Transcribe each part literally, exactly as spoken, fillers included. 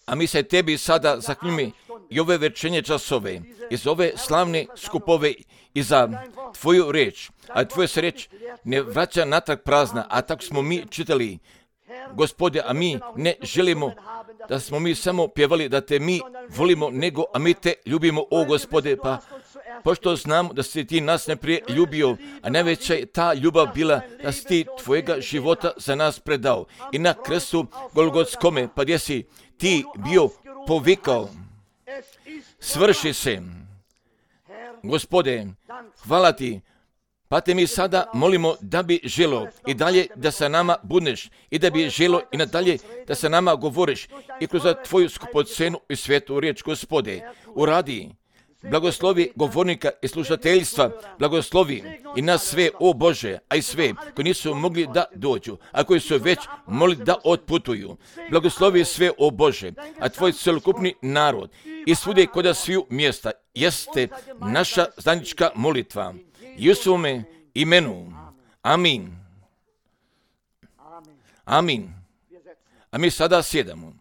A mi se tebi sada zahvaljujemo i ove večernje časove, i za ove slavne skupove, i za tvoju reč. A tvoja se reč ne vraća natrag prazna, a tako smo mi čitali, Gospode, a mi ne želimo da smo mi samo pjevali da te mi volimo, nego a mi te ljubimo, o Gospode, pa pošto znamo da si ti nas najprije ljubio, a najveća je ta ljubav bila da si ti tvojega života za nas predao. I na krstu Golgotskome, pa gdje si ti bio povikao, svrši se. Gospode, hvala ti, pa te mi sada molimo da bi želo i dalje da sa nama budeš i da bi želo i nadalje da sa nama govoriš i kroz tvoju skupocenu i svetu riječ, Gospode, uradi. Blagoslovi govornika i slušateljstva, blagoslovi i nas sve, o Bože, a i sve koji nisu mogli da dođu, a koji su već mogli da otputuju. Blagoslovi sve, o Bože, a tvoj celokupni narod i svugdje kod sviju mjesta jeste naša zajednička molitva. I u svome imenu. Amin. Amin. A mi sada sjedamo.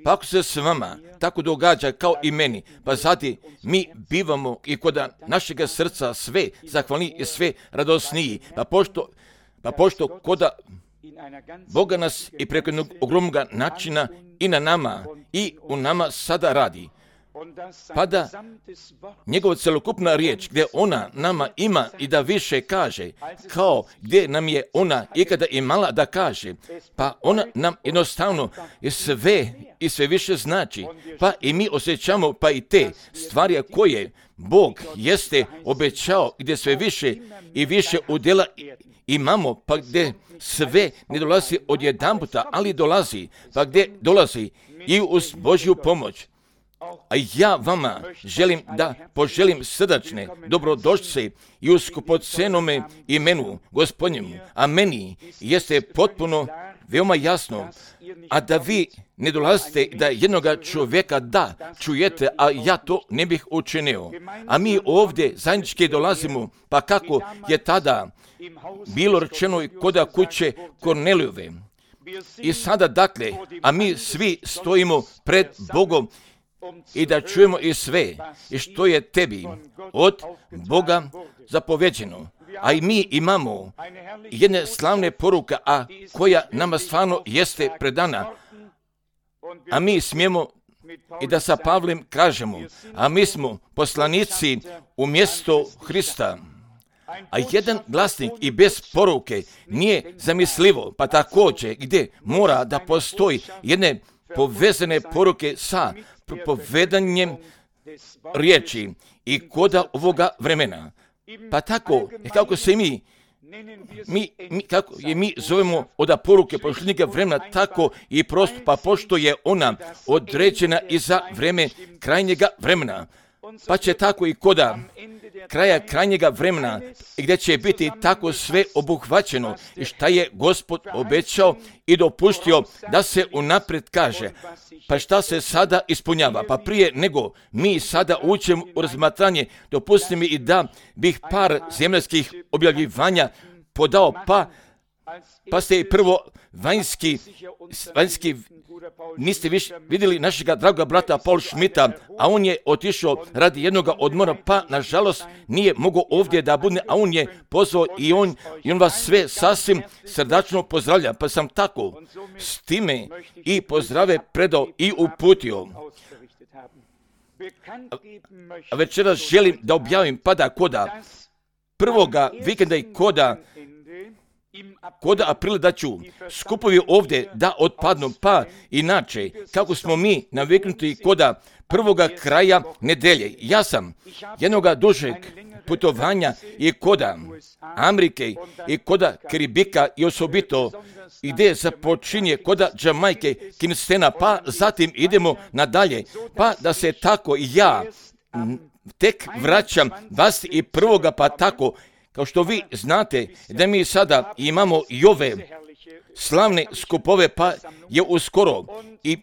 Pa ako se s vama tako događa kao i meni, pa zati mi bivamo i kod našega srca sve zahvalniji i sve radosniji, pa pošto, pa pošto koda Boga nas i preko jednog ogromnog načina i na nama i u nama sada radi, pa da njegova celokupna riječ gdje ona nama ima i da više kaže, kao gdje nam je ona ikada imala da kaže, pa ona nam jednostavno je sve i sve više znači, pa i mi osjećamo pa i te stvari koje Bog jeste obećao, gdje sve više i više udjela imamo, pa gdje sve ne dolazi odjedanputa, ali dolazi, pa gdje dolazi i uz Božju pomoć. A ja vama želim da poželim srdačne dobrodošlice i u skupocenome imenu Gospodnjemu, a meni jeste potpuno veoma jasno, a da vi ne dolazite da jednoga čovjeka da čujete, a ja to ne bih učinio. A mi ovdje zajednički dolazimo, pa kako je tada bilo rečeno i koda kuće Kornelijove. I sada dakle, a mi svi stojimo pred Bogom i da čujemo i sve i što je tebi od Boga zapovjeđeno. A i mi imamo jedne slavne poruke, a koja nama stvarno jeste predana. A mi smijemo i da sa Pavlem kažemo, a mi smo poslanici umjesto Hrista. A jedan glasnik i bez poruke nije zamislivo, pa također gdje mora da postoji jedne povezane poruke sa propovedanjem riječi i koda ovoga vremena. Pa tako, kako se mi, mi, mi kako je mi zovemo od poruke posljednjega vremena, tako i prosto, pa pošto je ona određena i za vreme krajnjega vremena. Pa će tako i koda kraja krajnjega vremena, gdje će biti tako sve obuhvaćeno i šta je Gospod obećao i dopustio da se unaprijed kaže. Pa šta se sada ispunjava? Pa prije nego mi sada učimo u razmatranje, dopusti mi i da bih par zemaljskih objavljivanja podao, pa, pa ste i prvo vanjski, vanjski niste više vidjeli našega draga brata Paul Schmidta, a on je otišao radi jednog odmora, pa nažalost nije mogao ovdje da bude, a on je pozvao i on, i on vas sve sasvim srdačno pozdravlja, pa sam tako s time i pozdrave predao i uputio. A večeras želim da objavim, pa da koda prvoga vikenda i koda Koda aprila da ću skupovi ovdje da otpadnu, pa inače, kako smo mi naviknuti koda prvoga kraja nedelje. Ja sam jednoga dužeg putovanja i koda Amerike i koda Karibika i osobito gdje započinje koda Jamajke, Kingstona, pa zatim idemo nadalje, pa da se tako i ja tek vraćam vas i prvoga, pa tako kao što vi znate da mi sada imamo i ove slavne skupove, pa je uskoro i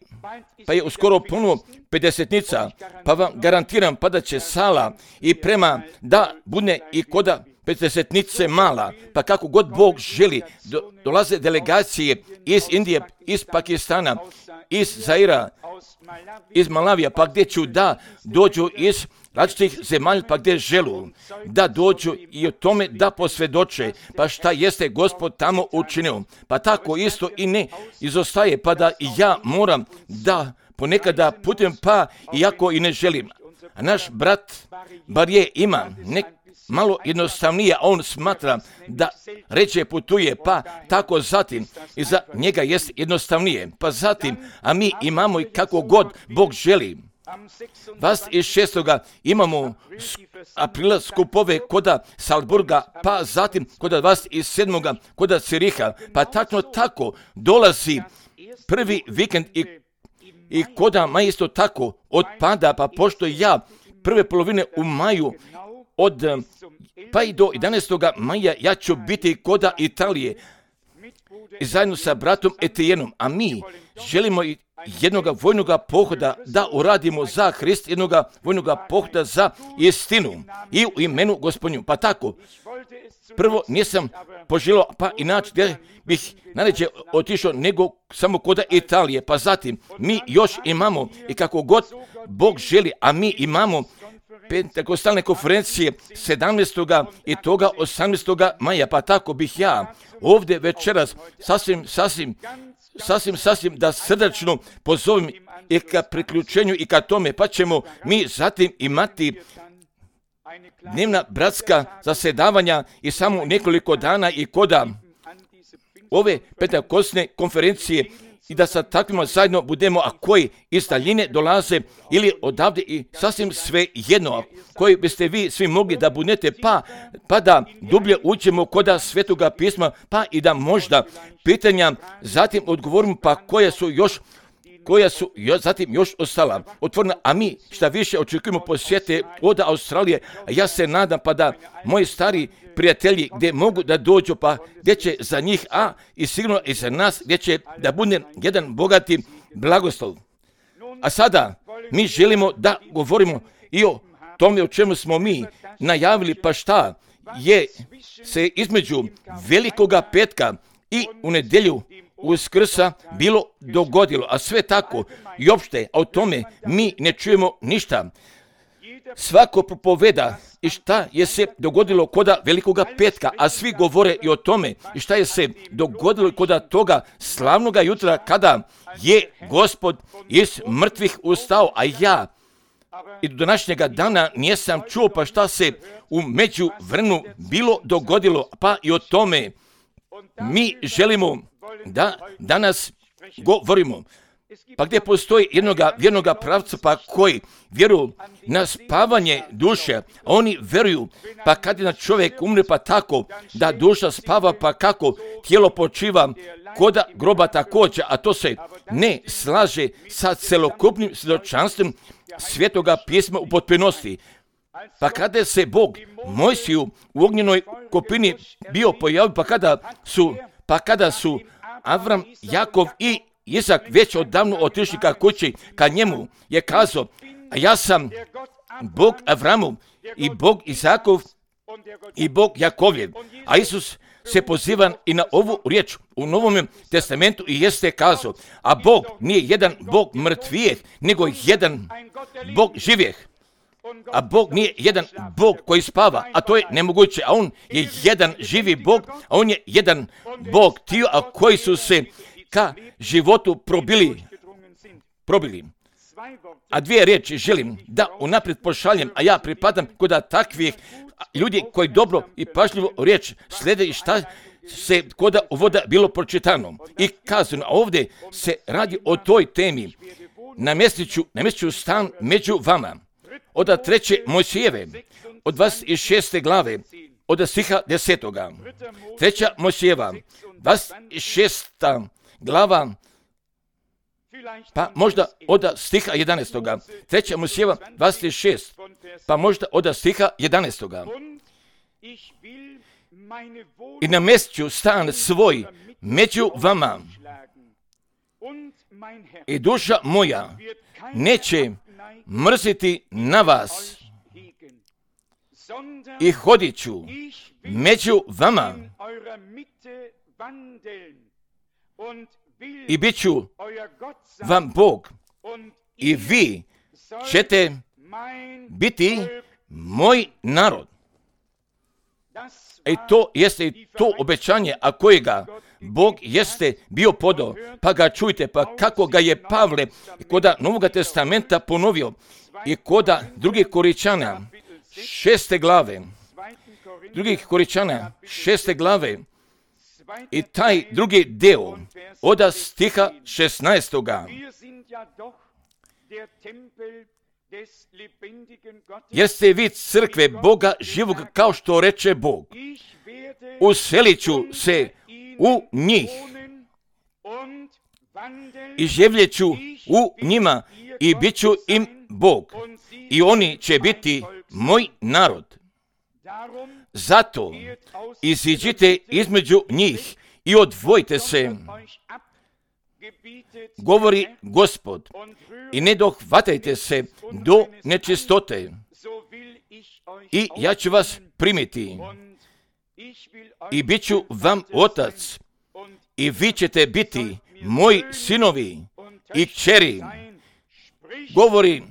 pa je uskoro puno pedesetnica, pa vam garantiram pa da će sala i prema da bude i koda pedesetnice mala, pa kako god Bog želi, do, dolaze delegacije iz Indije, iz Pakistana, iz Zaira, iz Malavija, pa gdje ću da dođu iz različitih zemalja, pa gdje želu da dođu i o tome da posvjedoče, pa šta jeste Gospod tamo učinio. Pa tako isto i ne izostaje, pa da i ja moram da ponekada putem, pa iako i ne želim. A naš brat bar je ima nek malo jednostavnije, a on smatra da reče putuje, pa tako zatim i za njega jest jednostavnije. Pa zatim, a mi imamo i kako god Bog želi. dvadeset šestoga imamo aprila skupove koda Salzburga, pa zatim koda dvadeset sedmoga koda Ciriha, pa tačno tako dolazi prvi vikend i, i koda maj isto tako odpada, pa pošto ja prve polovine u maju od pa i do jedanaestoga maja ja ću biti koda Italije i zajedno sa bratom Etijenom, a mi želimo i jednoga vojnoga pohoda da uradimo za Hrist, jednoga vojnoga pohoda za istinu i u imenu Gospodnju. Pa tako, prvo nisam poželio, pa inače gdje bih najređe otišao nego samo koda Italije. Pa zatim, mi još imamo i kako god Bog želi, a mi imamo pentakostalne konferencije sedamnaestoga i toga osamnaestoga maja, pa tako bih ja ovdje večeras sasvim, sasvim, sasvim, sasvim da srdačno pozovem i ka priključenju i ka tome, pa ćemo mi zatim imati dnevna bratska zasedavanja i samo nekoliko dana i koda ove pentakostalne konferencije i da sa takvima zajedno budemo, a koji iz daljine dolaze ili odavde i sasvim sve jedno, koji biste vi svi mogli da budete, pa, pa da dublje uđemo koda Svetoga pisma, pa i da možda pitanja zatim odgovorimo, pa koja su još koja su još, zatim još ostala otvorena, a mi šta više očekujemo posjete od Australije, a ja se nadam pa da moji stari prijatelji gdje mogu da dođu, pa gdje će za njih, a i sigurno i za nas, gdje će da bude jedan bogati blagoslov. A sada mi želimo da govorimo i o tome o čemu smo mi najavili, pa šta je se između Velikoga petka i u nedjelju Uskrsa bilo dogodilo, a sve tako i opšte o tome mi ne čujemo ništa. Svako propoveda i šta je se dogodilo koda Velikoga petka, a svi govore i o tome i šta je se dogodilo koda toga slavnoga jutra kada je Gospod iz mrtvih ustao, a ja i do današnjega dana nisam čuo pa šta se u međuvremenu bilo dogodilo, pa i o tome mi želimo da danas govorimo. Pa gdje postoji jednoga vjernoga pravca, pa koji vjeruju na spavanje duše, a oni vjeruju, pa kad je na čovjek umre, pa tako da duša spava, pa kako tijelo počiva koda groba također, a to se ne slaže sa celokupnim svjedočanstvom Svetoga pisma u potpunosti. Pa kada se Bog Mojsiju u ognjenoj kopini bio pojavio, pa kada su, pa kada su Avram, Jakov i Isak već odavno otišli ka kući, ka njemu je kazao, a ja sam Bog Avramu i Bog Isakov i Bog Jakovljev. A Isus se poziva i na ovu riječ u Novom testamentu i jeste kazao, a Bog nije jedan Bog mrtvijeh, nego jedan Bog živjeh. A Bog nije jedan Bog koji spava, a to je nemoguće, a on je jedan živi Bog, a on je jedan Bog tio, a koji su se ka životu probili, probili. A dvije riječi želim da unaprijed pošaljem, a ja pripadam koda takvih ljudi koji dobro i pažljivo riječ slede i šta se koda uvoda bilo pročitano i kazano. A ovdje se radi o toj temi. Namjestiću, namjestiću stan među vama. Od treće Mojsijeve, od dvadeset šeste glave, od stiha desetoga. Treća Mojsijeva, dvadeset šesta glava, pa možda od stiha jedanaestoga. Treća Mojsijeva, dvadeset šest, pa možda od stiha jedanaestoga. I namjestiću stan svoj među vama. I duša moja neće mrziti na vas. i hodit ću među vama i bit ću vam Bog i vi ćete biti moj narod. I to jeste i to obećanje, a kojega Bog jeste bio podao, pa ga čujte, pa kako ga je Pavle koda Novoga testamenta ponovio i koda drugih Koričana, šeste glave, drugih Koričana, šeste glave, i taj drugi deo od stiha šesnaestoga. Jer ste vi crkve Boga živog, kao što reče Bog. Uselit ću se u njih i živjet ću u njima i bit ću im Bog. I oni će biti moj narod. Zato iziđite između njih i odvojite se, govori Gospod, i ne dohvatajte se do nečistote. I ja ću vas primiti i bit ću vam otac i vi ćete biti moji sinovi i kćeri, govori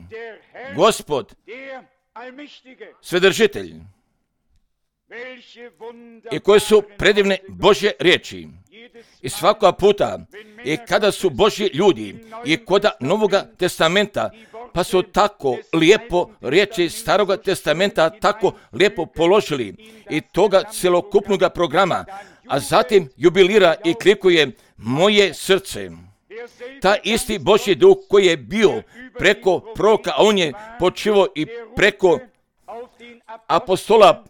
Gospod, Svedržitelj. I koje su predivne Božje riječi. I svaka puta, i kada su Božji ljudi, i koda Novoga testamenta, pa su tako lijepo riječi Staroga testamenta tako lijepo položili i toga celokupnog programa, a zatim jubilira i klikuje moje srce. Ta isti Božji duh koji je bio preko proroka, a on je počivao i preko apostola,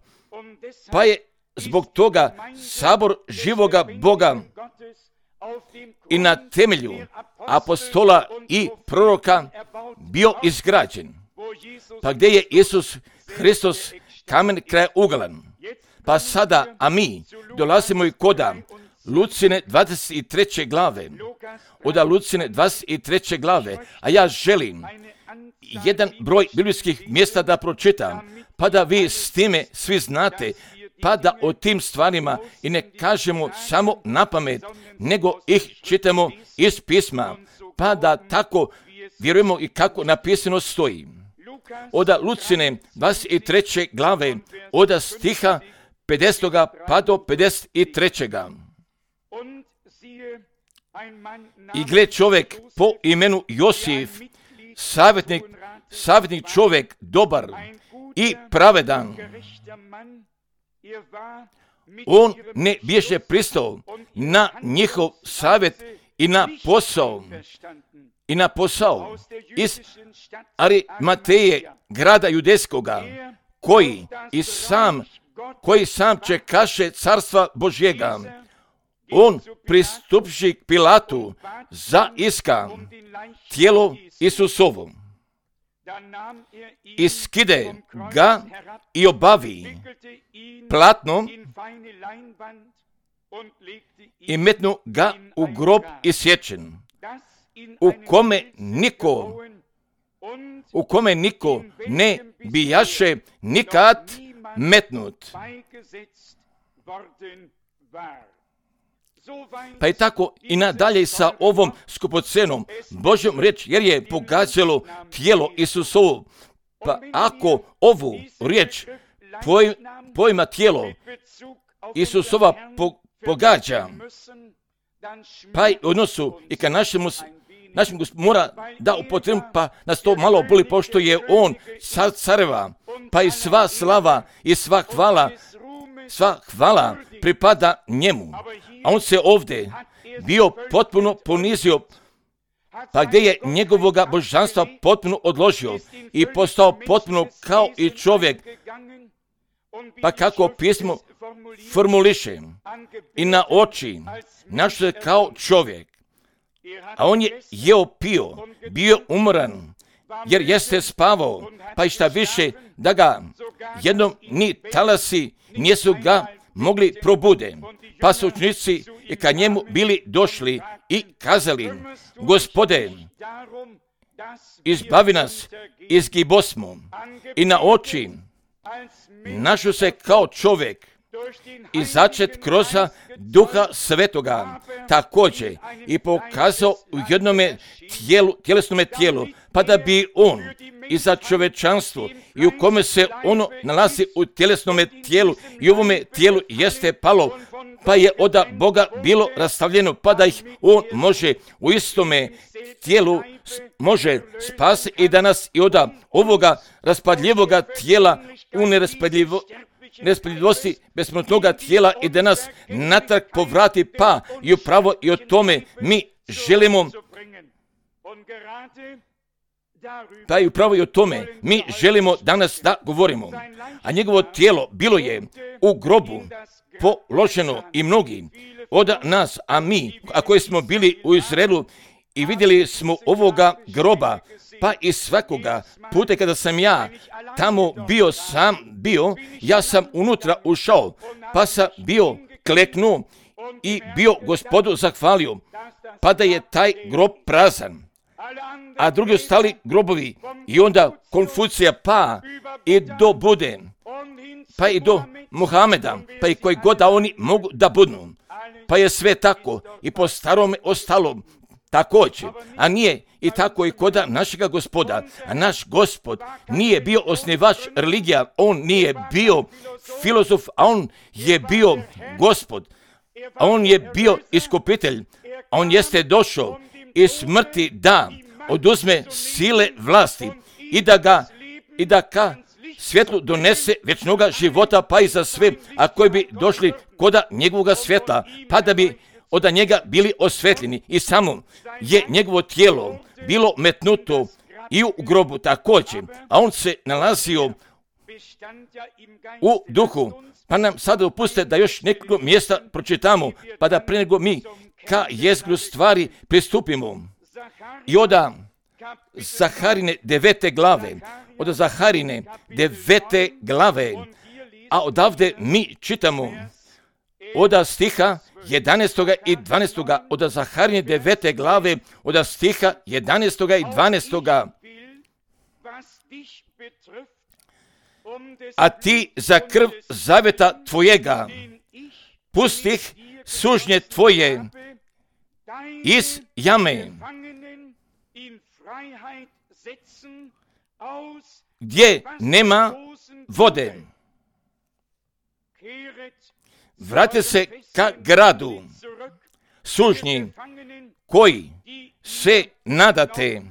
pa je zbog toga sabor živoga Boga i na temelju apostola i proroka bio izgrađen. Pa gdje je Isus Hristos kamen krajeuglan? Pa sada, a mi dolazimo i koda Lucine dvadeset treće glave. Oda Lucine dvadeset treće glave, a ja želim jedan broj biblijskih mjesta da pročitam, pa da vi s time svi znate, pa da o tim stvarima i ne kažemo samo na pamet, nego ih čitamo iz pisma, pa da tako vjerujemo i kako napisano stoji. Oda Lucine dvadeset treće glave, oda stiha pedesetoga pa do pedeset trećega. I gle, čovjek po imenu Josif, savjetnik, savjetnik čovjek, dobar i pravedan. On ne bježe pristao na njihov savjet i na posao, i na posao iz Arimateje, grada judejskoga, koji i sam, koji sam čekaše carstva Božjega. On pristupši k Pilatu za iska tijelo Isusovo. I skide ga i obavi platnom i metnu ga u grob isječen, u kome niko, u kome niko ne bijaše nikad metnut. Pa je tako i nadalje sa ovom skupocenom Božjom riječ, jer je pogađalo tijelo Isusovo. Pa ako ovu riječ poj, pojma tijelo Isusova po, pogađa, pa i odnosu i ka našemu, našem mora da upotrebim, pa nas to malo boli, pošto je on car careva, pa i sva slava i sva hvala, sva hvala pripada njemu. A on se ovdje bio potpuno ponizio, pa gdje je njegovoga božanstva potpuno odložio i postao potpuno kao i čovjek, pa kako pismo formuliše, i na oči našao se kao čovjek, a on je jeo pio, bio umoran, jer jeste spavao, pa i šta više da ga jednom ni talasi nisu ga mogli probude, pa su učenici i ka njemu bili došli i kazali: Gospode, izbavi nas iz gibosmo. I na oči našao se kao čovjek i začet kroz Duha Svetoga također i pokazao u jednome tijelu, tjelesnome tijelu, pa da bi on i za čovečanstvo i u kome se ono nalazi u tjelesnome tijelu i u ovome tijelu jeste palo, pa je od Boga bilo rastavljeno, pa da ih on može u istome tijelu može spasiti i danas i od ovoga raspadljivoga tijela u neraspadljivo, nespadljivosti besmrtnoga tijela i da nas natrag povrati, pa i upravo i o tome mi želimo Pa i upravo i o tome mi želimo danas da govorimo. A njegovo tijelo bilo je u grobu položeno i mnogi od nas, a mi, a koji smo bili u Izraelu i vidjeli smo ovoga groba, pa i svakoga puta kada sam ja tamo bio sam bio, ja sam unutra ušao, pa sam bio kleknuo i bio Gospodu zahvalio, pa da je taj grob prazan. A drugi ostali grobovi i onda Konfucija pa i do Bude, pa i do Muhameda, pa i koji god da oni mogu da budu. Pa je sve tako i po starome ostalo također, a nije i tako i kod našega Gospoda. A naš Gospod nije bio osnivač religija, on nije bio filozof, a on je bio Gospod, a on je bio iskupitelj, a on jeste došao iz smrti da oduzme sile vlasti i da ga i da ka svjetlu donese vječnoga života, pa i za sve, a koji bi došli koda njegovoga svjetla, pa da bi od njega bili osvetljeni. I samo je njegovo tijelo bilo metnuto i u grobu također, a on se nalazio u duhu. Pa nam sada dopuste da još nekoliko mjesta pročitamo, pa da pre nego mi ka jezgru stvari pristupimo. I od Zaharine devete glave, od Zaharine devete glave, a odavde mi čitamo od stiha jedanaestoga i dvanaestoga, od Zaharine devete glave, od stiha jedanaestoga i dvanaestoga. A ti za krv zaveta tvojega pustih sužnje tvoje iz jame, gdje nema vode. Vrate se ka gradu sužnji koji se nadate.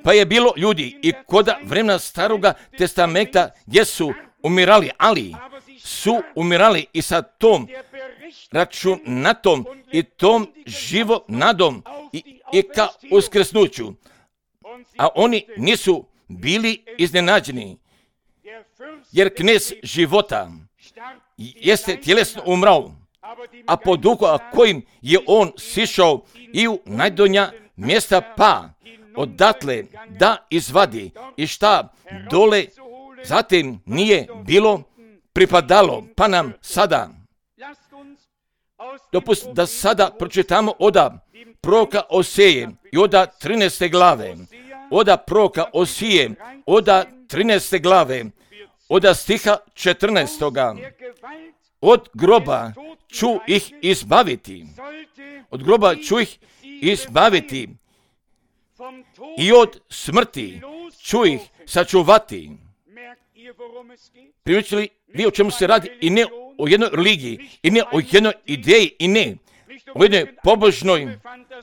Pa je bilo ljudi i kod vremena Staroga testamenta gdje su umirali, ali su umirali i sa tom računatom i tom živo nadom i, i ka uskrsnuću. A oni nisu bili iznenađeni, jer knez života jeste tjelesno umrao, a po duhu a kojim je on sišao i u najdonja mjesta, pa odatle da izvadi i šta dole zatim nije bilo pripadalo, pa nam sada dopust da sada pročitamo od proroka Oseje i od trinaeste glave, od proroka Osije, od trinaeste glave, od stiha četrnaestoga. Od groba ću ih izbaviti, od groba ću ih izbaviti i od smrti ću ih sačuvati. Primijetili vi o čemu se radi? I ne o jednoj religiji, i ne o jednoj ideji, i ne o jednoj pobožnoj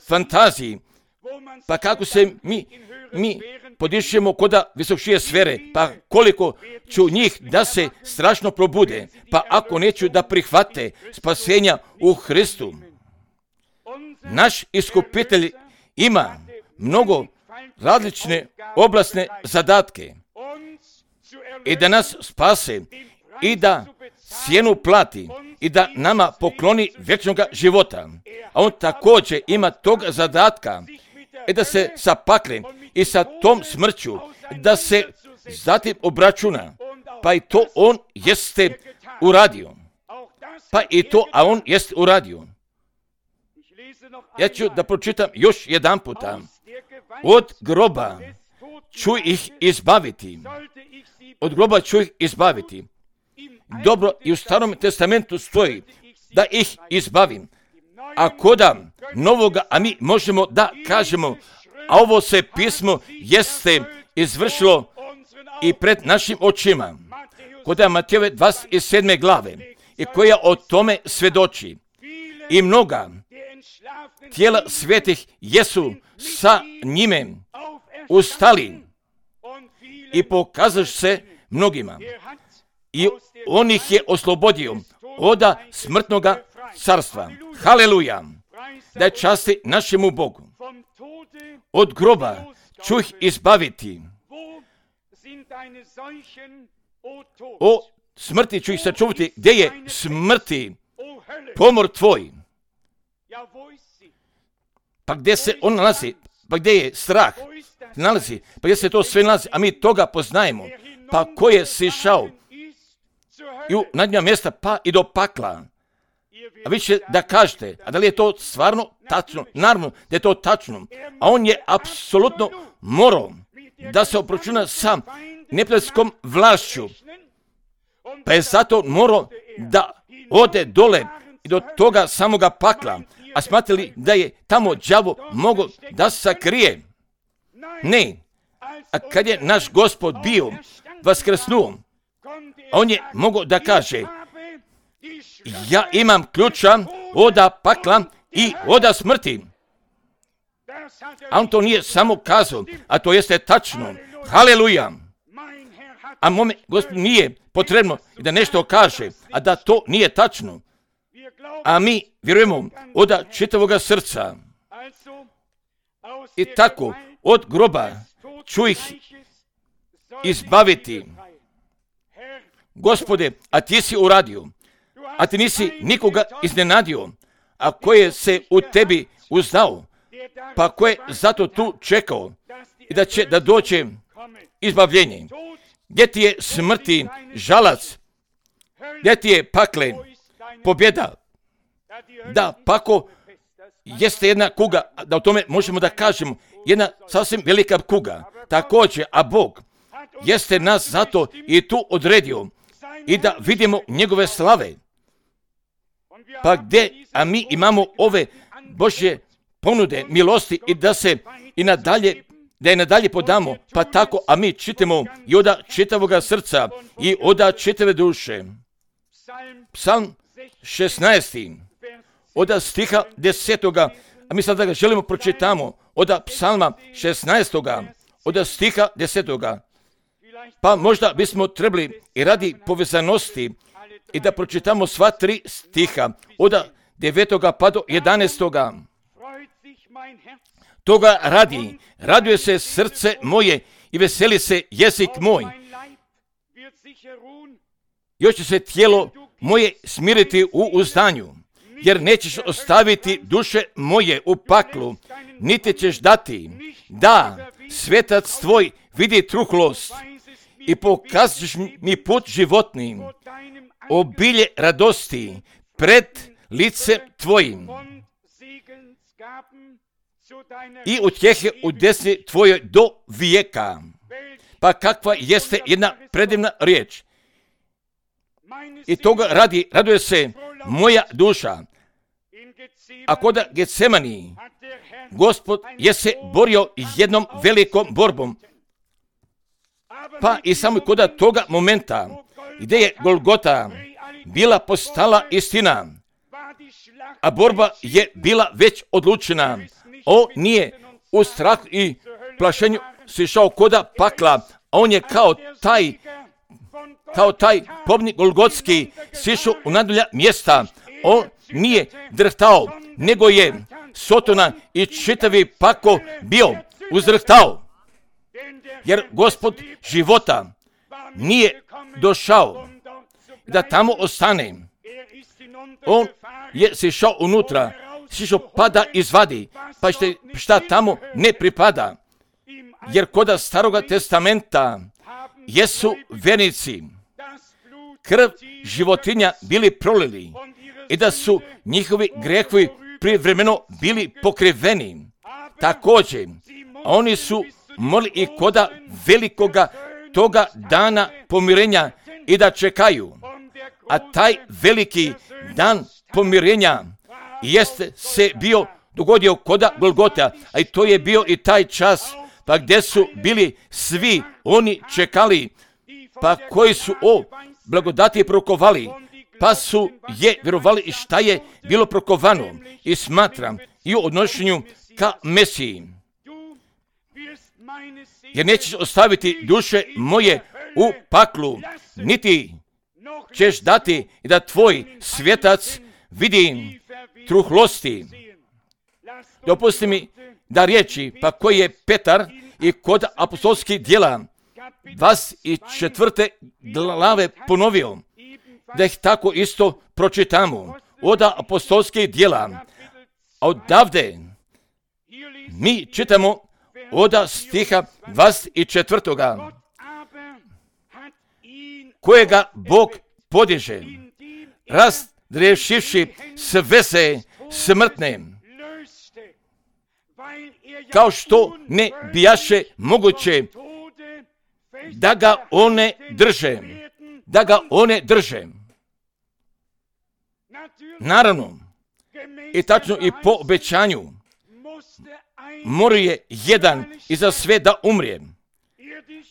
fantaziji. Pa kako se mi, mi podišemo koda visokšije sfere, pa koliko ću njih da se strašno probude, pa ako neću da prihvate spasenja u Hristu. Naš iskupitelj ima mnogo različne oblasne zadatke i da nas spase i da cijenu plati i da nama pokloni vječnoga života. A on također ima tog zadatka i da se sa paklem i sa tom smrću da se zatim obračuna. Pa i to on jeste uradio. Pa i to, a on jeste uradio. Ja ću da pročitam još jedan puta. Od groba ću ih izbaviti. Od groba ću ih izbaviti. Dobro, i u Starom testamentu stoji da ih izbavim. A koda novoga, a mi možemo da kažemo, a ovo se pismo jeste izvršilo i pred našim očima. Koda Matejove dvadeset sedme glave i koja o tome svedoči. I mnoga tijela svetih jesu sa njime ustali i pokazaš se mnogima. I on ih je oslobodio od smrtnoga carstva. Haleluja! Da je časti našemu Bogu. Od groba ću ih izbaviti. O smrti ću ih sačuvati. Gdje je smrti pomor tvoj? Pa gdje se on nalazi? Pa gdje je strah? Nalazi. Pa gdje se to sve nalazi? A mi toga poznajemo. Pa ko je sišao i u nadnja mjesta pa i do pakla? A vi će da kažete, a da li je to stvarno tačno? Naravno da je to tačno. A on je apsolutno morao da se obračuna sa neprijateljskom vlašću. Pa je zato morao da ode dole i do toga samoga pakla. A smatrali da je tamo đavo mogao da se sakrije? Ne. A kad je naš Gospod bio vaskrsnuo, on je mogao da kaže, ja imam ključa od pakla i od smrti. A on to nije samo kazao, a to jeste tačno. Haleluja! A mome Gospodu nije potrebno da nešto kaže, a da to nije tačno. A mi vjerujemo od čitavoga srca. I tako, od groba ću ih izbaviti. Gospode, a ti si uradio, a ti nisi nikoga iznenadio, a ko je se u tebi uzdao, pa ko je zato tu čekao i da će da dođe izbavljenje. Gdje ti je smrti žalac? Gdje ti je pakle pobjeda? Da, pako jeste jedna kuga, da o tome možemo da kažemo, jedna sasvim velika kuga. Također, a Bog jeste nas zato i tu odredio i da vidimo njegove slave. Pa gdje, a mi imamo ove Božje ponude, milosti i da se i nadalje, da je nadalje podamo, pa tako, a mi čitamo i od čitavoga srca i od čitave duše. Psalm šesnaesti, od stiha desetoga, a mi sada ga želimo pročitamo, od psalma šesnaestoga, od stiha desetoga. Pa možda bismo trebali i radi povezanosti i da pročitamo sva tri stiha, od devetoga pa do jedanaestoga. Toga radi, raduje se srce moje i veseli se jezik moj. Još će se tijelo moje smiriti u uzdanju, jer nećeš ostaviti duše moje u paklu, niti ćeš dati da svetac tvoj vidi truhlost i pokazat ćeš mi put životni, obilje radosti pred lice tvojim i utjehe u desni tvojoj do vijeka. Pa kakva jeste jedna predivna riječ. I toga radi, raduje se moja duša. A koda Getsemani, Gospod je se borio jednom velikom borbom. Pa i samo koda toga momenta, gdje je Golgota bila postala istina, a borba je bila već odlučena. On nije u strahu i plašenju sišao koda pakla, a on je kao taj, kao taj pobnik Golgotski sišao u nadalja mjesta. On nije drhtao, nego je Sotona i čitavi pako bio uzrhtao. Jer Gospod života nije došao da tamo ostane. On je sišao unutra, sišao pa da izvadi, pa što šta tamo ne pripada. Jer koda Staroga testamenta jesu vernici krv životinja bili prolili i da su njihovi grehovi privremeno bili pokriveni. Također, oni su molili i koda velikoga toga dana pomirenja i da čekaju. A taj veliki dan pomirenja jeste se bio dogodio koda Golgota, a i to je bio i taj čas, pa gdje su bili svi oni čekali, pa koji su o blagodati prokovali, pa su je vjerovali i šta je bilo prokovano i smatram i u odnošenju ka Mesiji. Jer nećeš ostaviti duše moje u paklu, niti ćeš dati i da tvoj svjetac vidi truhlosti. Dopusti mi da riječi, pa koji je Petar i kod apostolskih djela dvadeset četvrte glave ponovio, da ih tako isto pročitamo. Od apostolskih djela, odavde mi čitamo od stiha dvadeset četvrtoga kojega Bog podiže, razriješivši sve se smrtne, kao što ne bijaše moguće da ga one drže, da ga one drže. Naravno, i tačno i po obećanju, mora je jedan i za sve da umrije.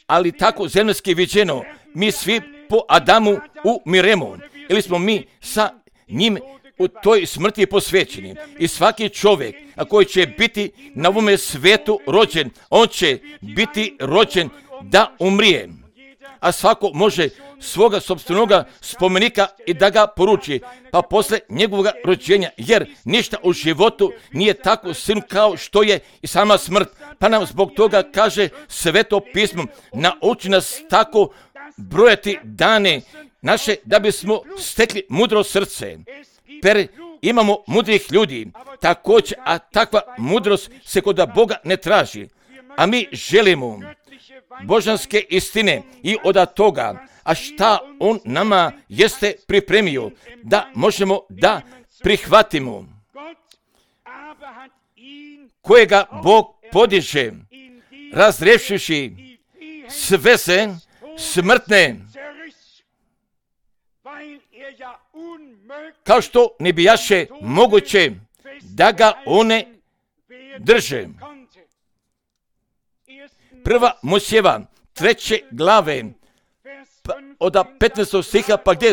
Ali tako zemljski viđeno, mi svi po Adamu umiremo, ili smo mi sa njim u toj smrti posvećeni. I svaki čovjek, a koji će biti na ovome svijetu rođen, on će biti rođen da umrije. A svako može svoga sopstvenoga spomenika i da ga poruči, pa posle njegovog rođenja, jer ništa u životu nije tako silno kao što je i sama smrt. Pa nam zbog toga kaže Sveto pismo, nauči nas tako brojati dane naše da bismo stekli mudro srce. Per imamo mudrih ljudi, također, a takva mudrost se kod Boga ne traži. A mi želimo božanske istine i od toga, a šta on nama jeste pripremio, da možemo da prihvatimo, kojega Bog podiže, razriješivši sve se smrtne, kao što ne bijaše moguće da ga one drže. Prva Mojsijeva, treće glave, pa, od petnaestog stiha, pa gdje,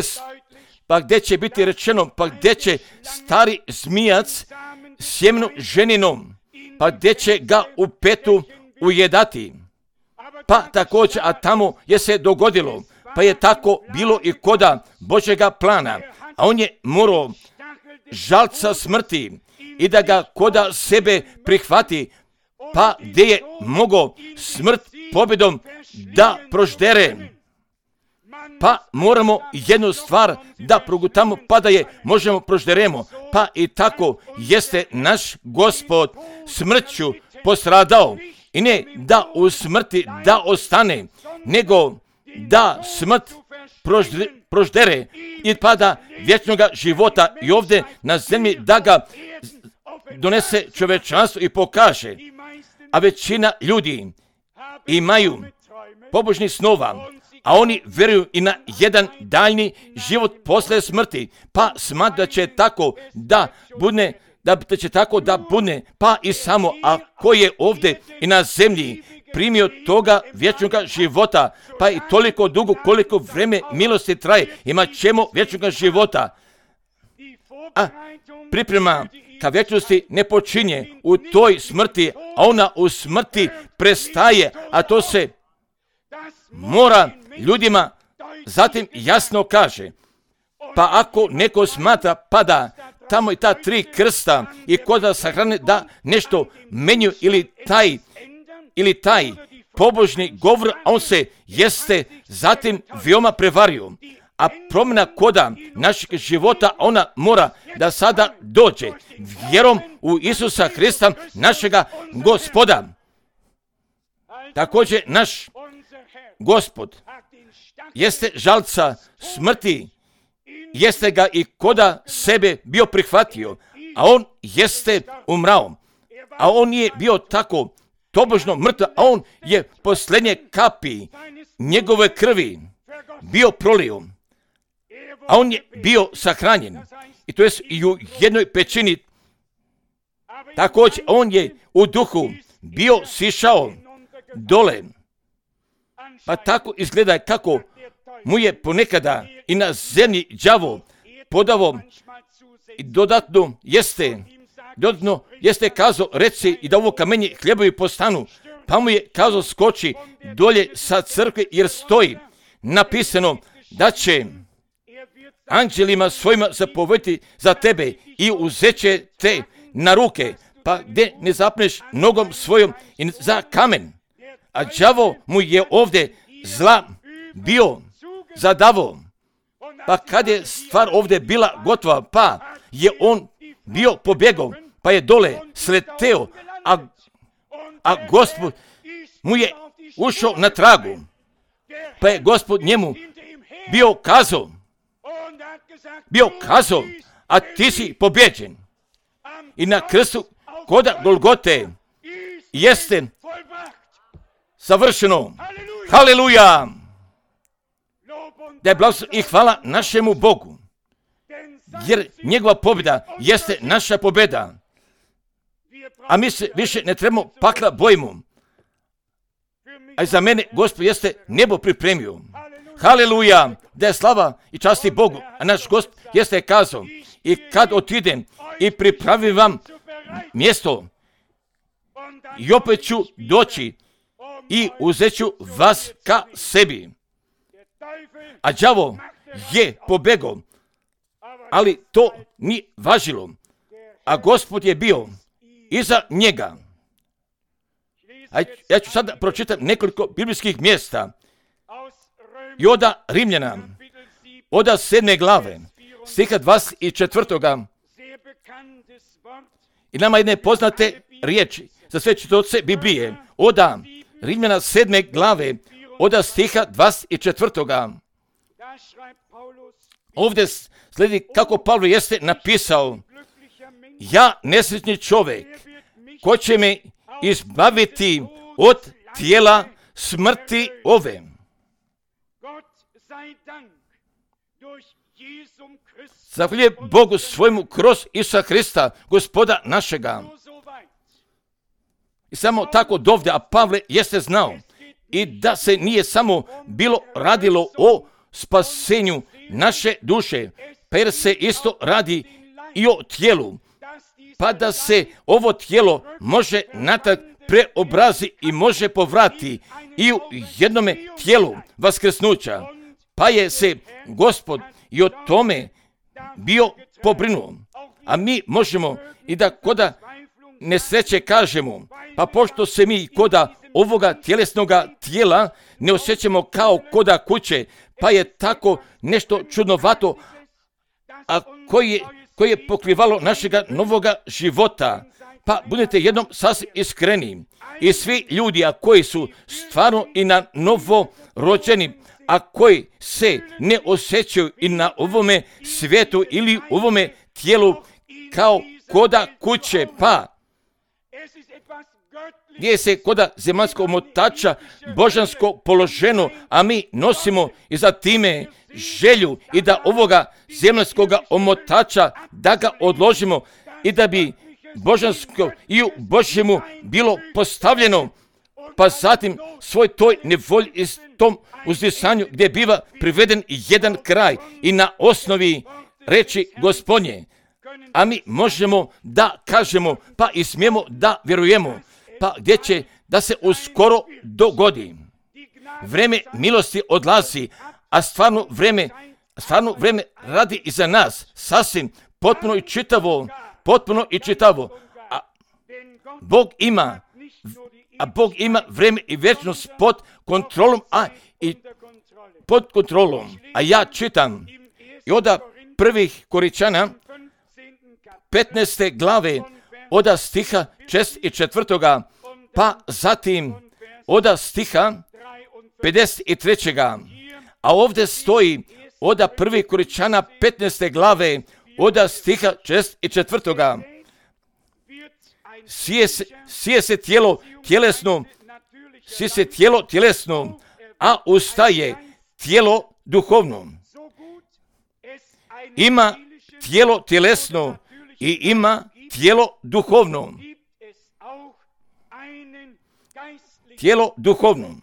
pa gdje će biti rečeno, pa gdje će stari zmijac sjemenu ženinom, pa gdje će ga u petu ujedati. Pa također, a tamo je se dogodilo, pa je tako bilo i koda Božjega plana, a on je morao žalca smrti i da ga koda sebe prihvati, pa gdje je mogao smrt pobjedom da proždere. Pa moramo jednu stvar da progutamo, pa da je možemo prožderemo. Pa i tako jeste naš Gospod smrću postradao. I ne da u smrti da ostane, nego da smrt proždere, proždere i pa da vječnoga života i ovdje na zemlji da ga donese čovečanstvo i pokaže. A većina ljudi imaju pobožnih snova, a oni vjeruju i na jedan daljni život posle smrti, pa smatra da će tako da bude, da će tako da bude, pa i samo ako je ovdje i na zemlji primio toga vječnoga života, pa i toliko dugo koliko vreme milosti traje, imat ćemo vječnoga života. A priprema ka vječnosti ne počinje u toj smrti, a ona u smrti prestaje, a to se mora ljudima zatim jasno kaže. Pa ako neko smatra pa da tamo i ta tri krsta i koda sahrane da nešto menju ili taj ili taj pobožni govor, a on se jeste zatim veoma prevario. A promjena koda našeg života, ona mora da sada dođe vjerom u Isusa Hrista, našega Gospoda. Također naš Gospod jeste žalca smrti, jeste ga i koda sebe bio prihvatio, a on jeste umrao. A on je bio tako tobožno mrtav, a on je posljednje kapi njegove krvi bio prolio, a on je bio sahranjen. I to je i u jednoj pećini također on je u duhu bio sišao dole. Pa tako izgleda kako mu je ponekada i na zemlji đavo podavo i dodatno jeste, dodatno jeste kazao reci i da ovo kamenje hljebovi postanu, pa mu je kazao skoči dolje sa crkve jer stoji napisano da će anđelima svojima zapovjediti za tebe i uzet će te na ruke, pa gdje ne zapneš nogom svojom i za kamen. A đavo mu je ovdje zla bio zadavo. Pa kad je stvar ovdje bila gotova, pa je on bio pobjegao, pa je dole sleteo, a, a Gospod mu je ušao na tragu. Pa je Gospod njemu bio kazao, bio kazao, a ti si pobjeđen. I na krstu koda Golgote jeste savršeno. Haleluja! Da je blagoslov i hvala našemu Bogu, jer njegova pobjeda jeste naša pobjeda. A mi se više ne trebamo pakla bojimo. A za mene Gospod jeste nebo pripremio. Haleluja! Da je slava i časti Bogu. A naš Gospod jeste kazao, i kad otidem i pripravim vam mjesto, i opet ću doći i uzet ću vas ka sebi. A đavo je pobegao, ali to nije važilo. A Gospod je bio iza njega. A ja ću sada pročitati nekoliko biblijskih mjesta. I oda Rimljana, oda sedme glave, stiha dvadeset četvrtoga. I nama jedne poznate riječi za sve čitavce Biblije. Oda Rimljana sedme glave, oda stiha dvadeset četvrtoga. Ovdje slijedi kako Pavlo jeste napisao: ja, nesretni čovjek, ko će me izbaviti od tijela smrti ove. Zahvaljujem Bogu svojemu kroz Isusa Krista, Gospoda našega. I samo tako dovde, a Pavle jeste znao i da se nije samo bilo radilo o spasenju naše duše, pa jer se isto radi i o tijelu, pa da se ovo tijelo može natrag preobrazi i može povrati i u jednome tijelu vaskrsnuća. Pa je se Gospod i o tome bio pobrinuo. A mi možemo i da koda nesreće kažemo, pa pošto se mi koda ovoga tjelesnoga tijela ne osjećamo kao koda kuće, pa je tako nešto čudnovato, a koji je, koji je pokrivalo našega novoga života. Pa budete jednom sasvim iskreni. I svi ljudi, a koji su stvarno i na novo rođeni, a koji se ne osjećaju i na ovome svijetu ili u ovome tijelu kao koda kuće, pa gdje se koda zemaljskog omotača božansko položeno, a mi nosimo i za time želju i da ovoga zemaljskog omotača da ga odložimo i da bi božansko i u Božjemu bilo postavljeno, pa zatim svoj toj nevolji i tom uzdisanju gdje biva priveden jedan kraj i na osnovi reči Gospodnje. A mi možemo da kažemo, pa i smijemo da vjerujemo, pa gdje će da se uskoro dogodi. Vreme milosti odlazi, a stvarno vreme, stvarno vreme radi i za nas, sasvim potpuno i čitavo, potpuno i čitavo. A Bog ima, a Bog ima vreme i vječnost pod kontrolom, a i pod kontrolom. A ja čitam i oda prvih Koričana, petnaeste glave, oda stiha šezdeset četvrtoga, pa zatim oda stiha pedeset trećega. A ovdje stoji oda prvih Koričana, petnaeste glave, oda stiha šezdeset četvrtoga. Sije se, sije se tijelo tjelesno, sije se tijelo tjelesno, a ustaje tijelo duhovno. Ima tijelo tjelesno i ima tijelo duhovno. Tijelo duhovno.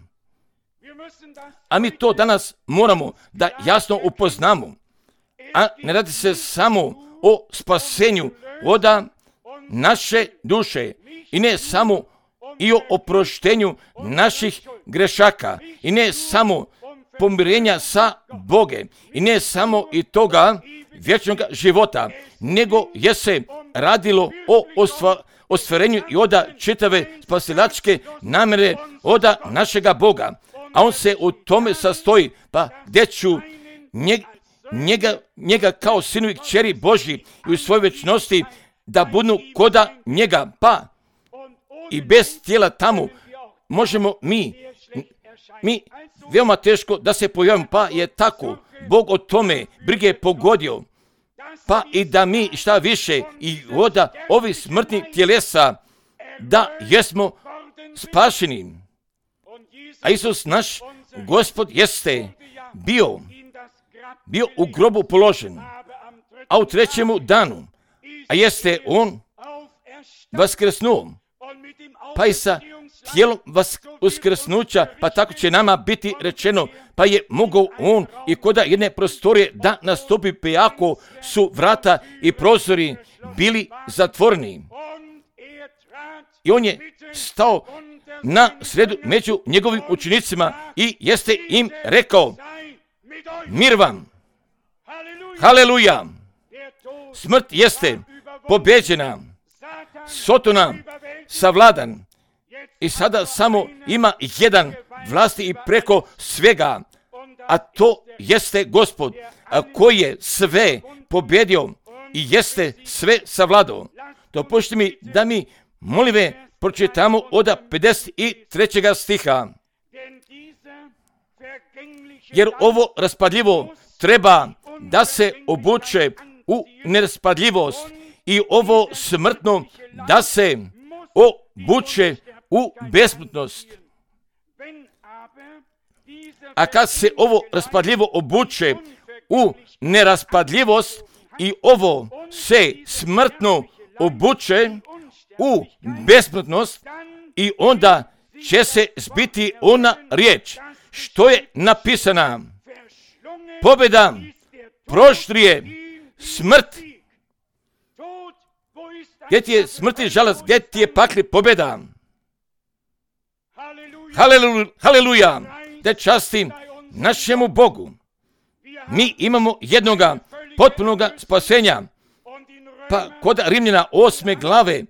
A mi to danas moramo da jasno upoznamo. A ne radi se samo o spasenju od naše duše i ne samo i o oproštenju naših grešaka i ne samo pomirenja sa Bogom i ne samo i toga vječnog života, nego je se radilo o ostva, ostvarenju i oda čitave spasilačke namjere oda našega Boga. A on se u tome sastoji, pa gdje ću njeg, njega, njega kao sinu i kćeri Božji i u svojoj večnosti da budu koda njega, pa i bez tijela tamo možemo mi, mi veoma teško da se pojavimo, pa je tako Bog o tome brige pogodio, pa i da mi šta više i oda ovih smrtnih tjelesa da jesmo spašeni. A Isus naš Gospod jeste bio, bio u grobu položen, a u trećemu danu, a jeste on vaskrsnuo, pa i sa tijelom uskrsnuća, pa tako će nama biti rečeno, pa je mogao on i koda jedne prostorije da nastupi, pa jako su vrata i prozori bili zatvoreni. I on je stao na sredu među njegovim učenicima i jeste im rekao, mir vam, haleluja, smrt jeste pobeđena, Sotona savladan i sada samo ima jedan vlasti i preko svega, a to jeste Gospod, a koji je sve pobedio i jeste sve savladao. Dopustite mi da mi, molive, pročitamo od pedeset trećeg stiha. Jer ovo raspadljivo treba da se obuče u neraspadljivost i ovo smrtno da se obuče u besmrtnost. A kad se ovo raspadljivo obuče u neraspadljivost i ovo se smrtno obuče u besmrtnost, i onda će se zbiti ona riječ što je napisana: pobjeda proštrije smrt. Gdje ti je smrti žalost, gdje ti je pakli pobjeda? Haleluja, haleluja, da častim našemu Bogu. Mi imamo jednoga potpunoga spasenja. Pa kod Rimljana osme glave,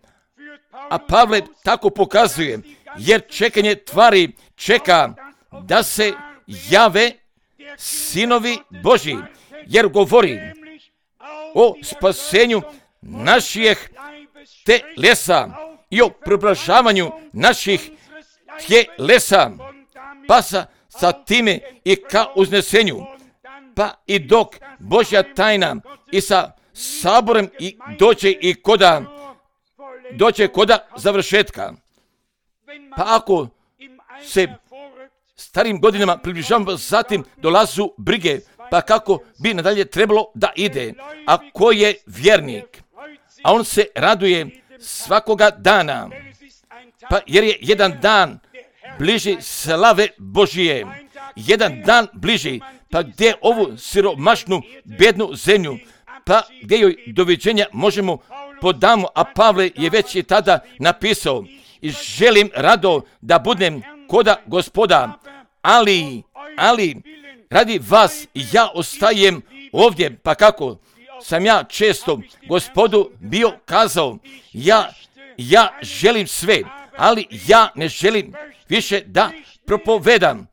a Pavle tako pokazuje, jer čekanje tvari čeka da se jave sinovi Božji, jer govori o spasenju naših telesa i o preobražavanju naših tjelesa, pa sa, sa time i ka uznesenju, pa i dok Božja tajna i sa saborem i doće i koda doće koda završetka. Pa ako se starim godinama približavamo, zatim dolazu brige, pa kako bi nadalje trebalo da ide. A ko je vjernik, a on se raduje svakoga dana, pa jer je jedan dan bliži slave Božije, jedan dan bliži, pa gdje ovu siromašnu, bednu zemlju, pa gdje joj doviđenja možemo podamo, a Pavle je već i tada napisao: i želim rado da budem koda Gospoda, ali, ali, radi vas ja ostajem ovdje, pa kako sam ja često Gospodu bio kazao, ja, ja želim sve, ali ja ne želim više da propovedam,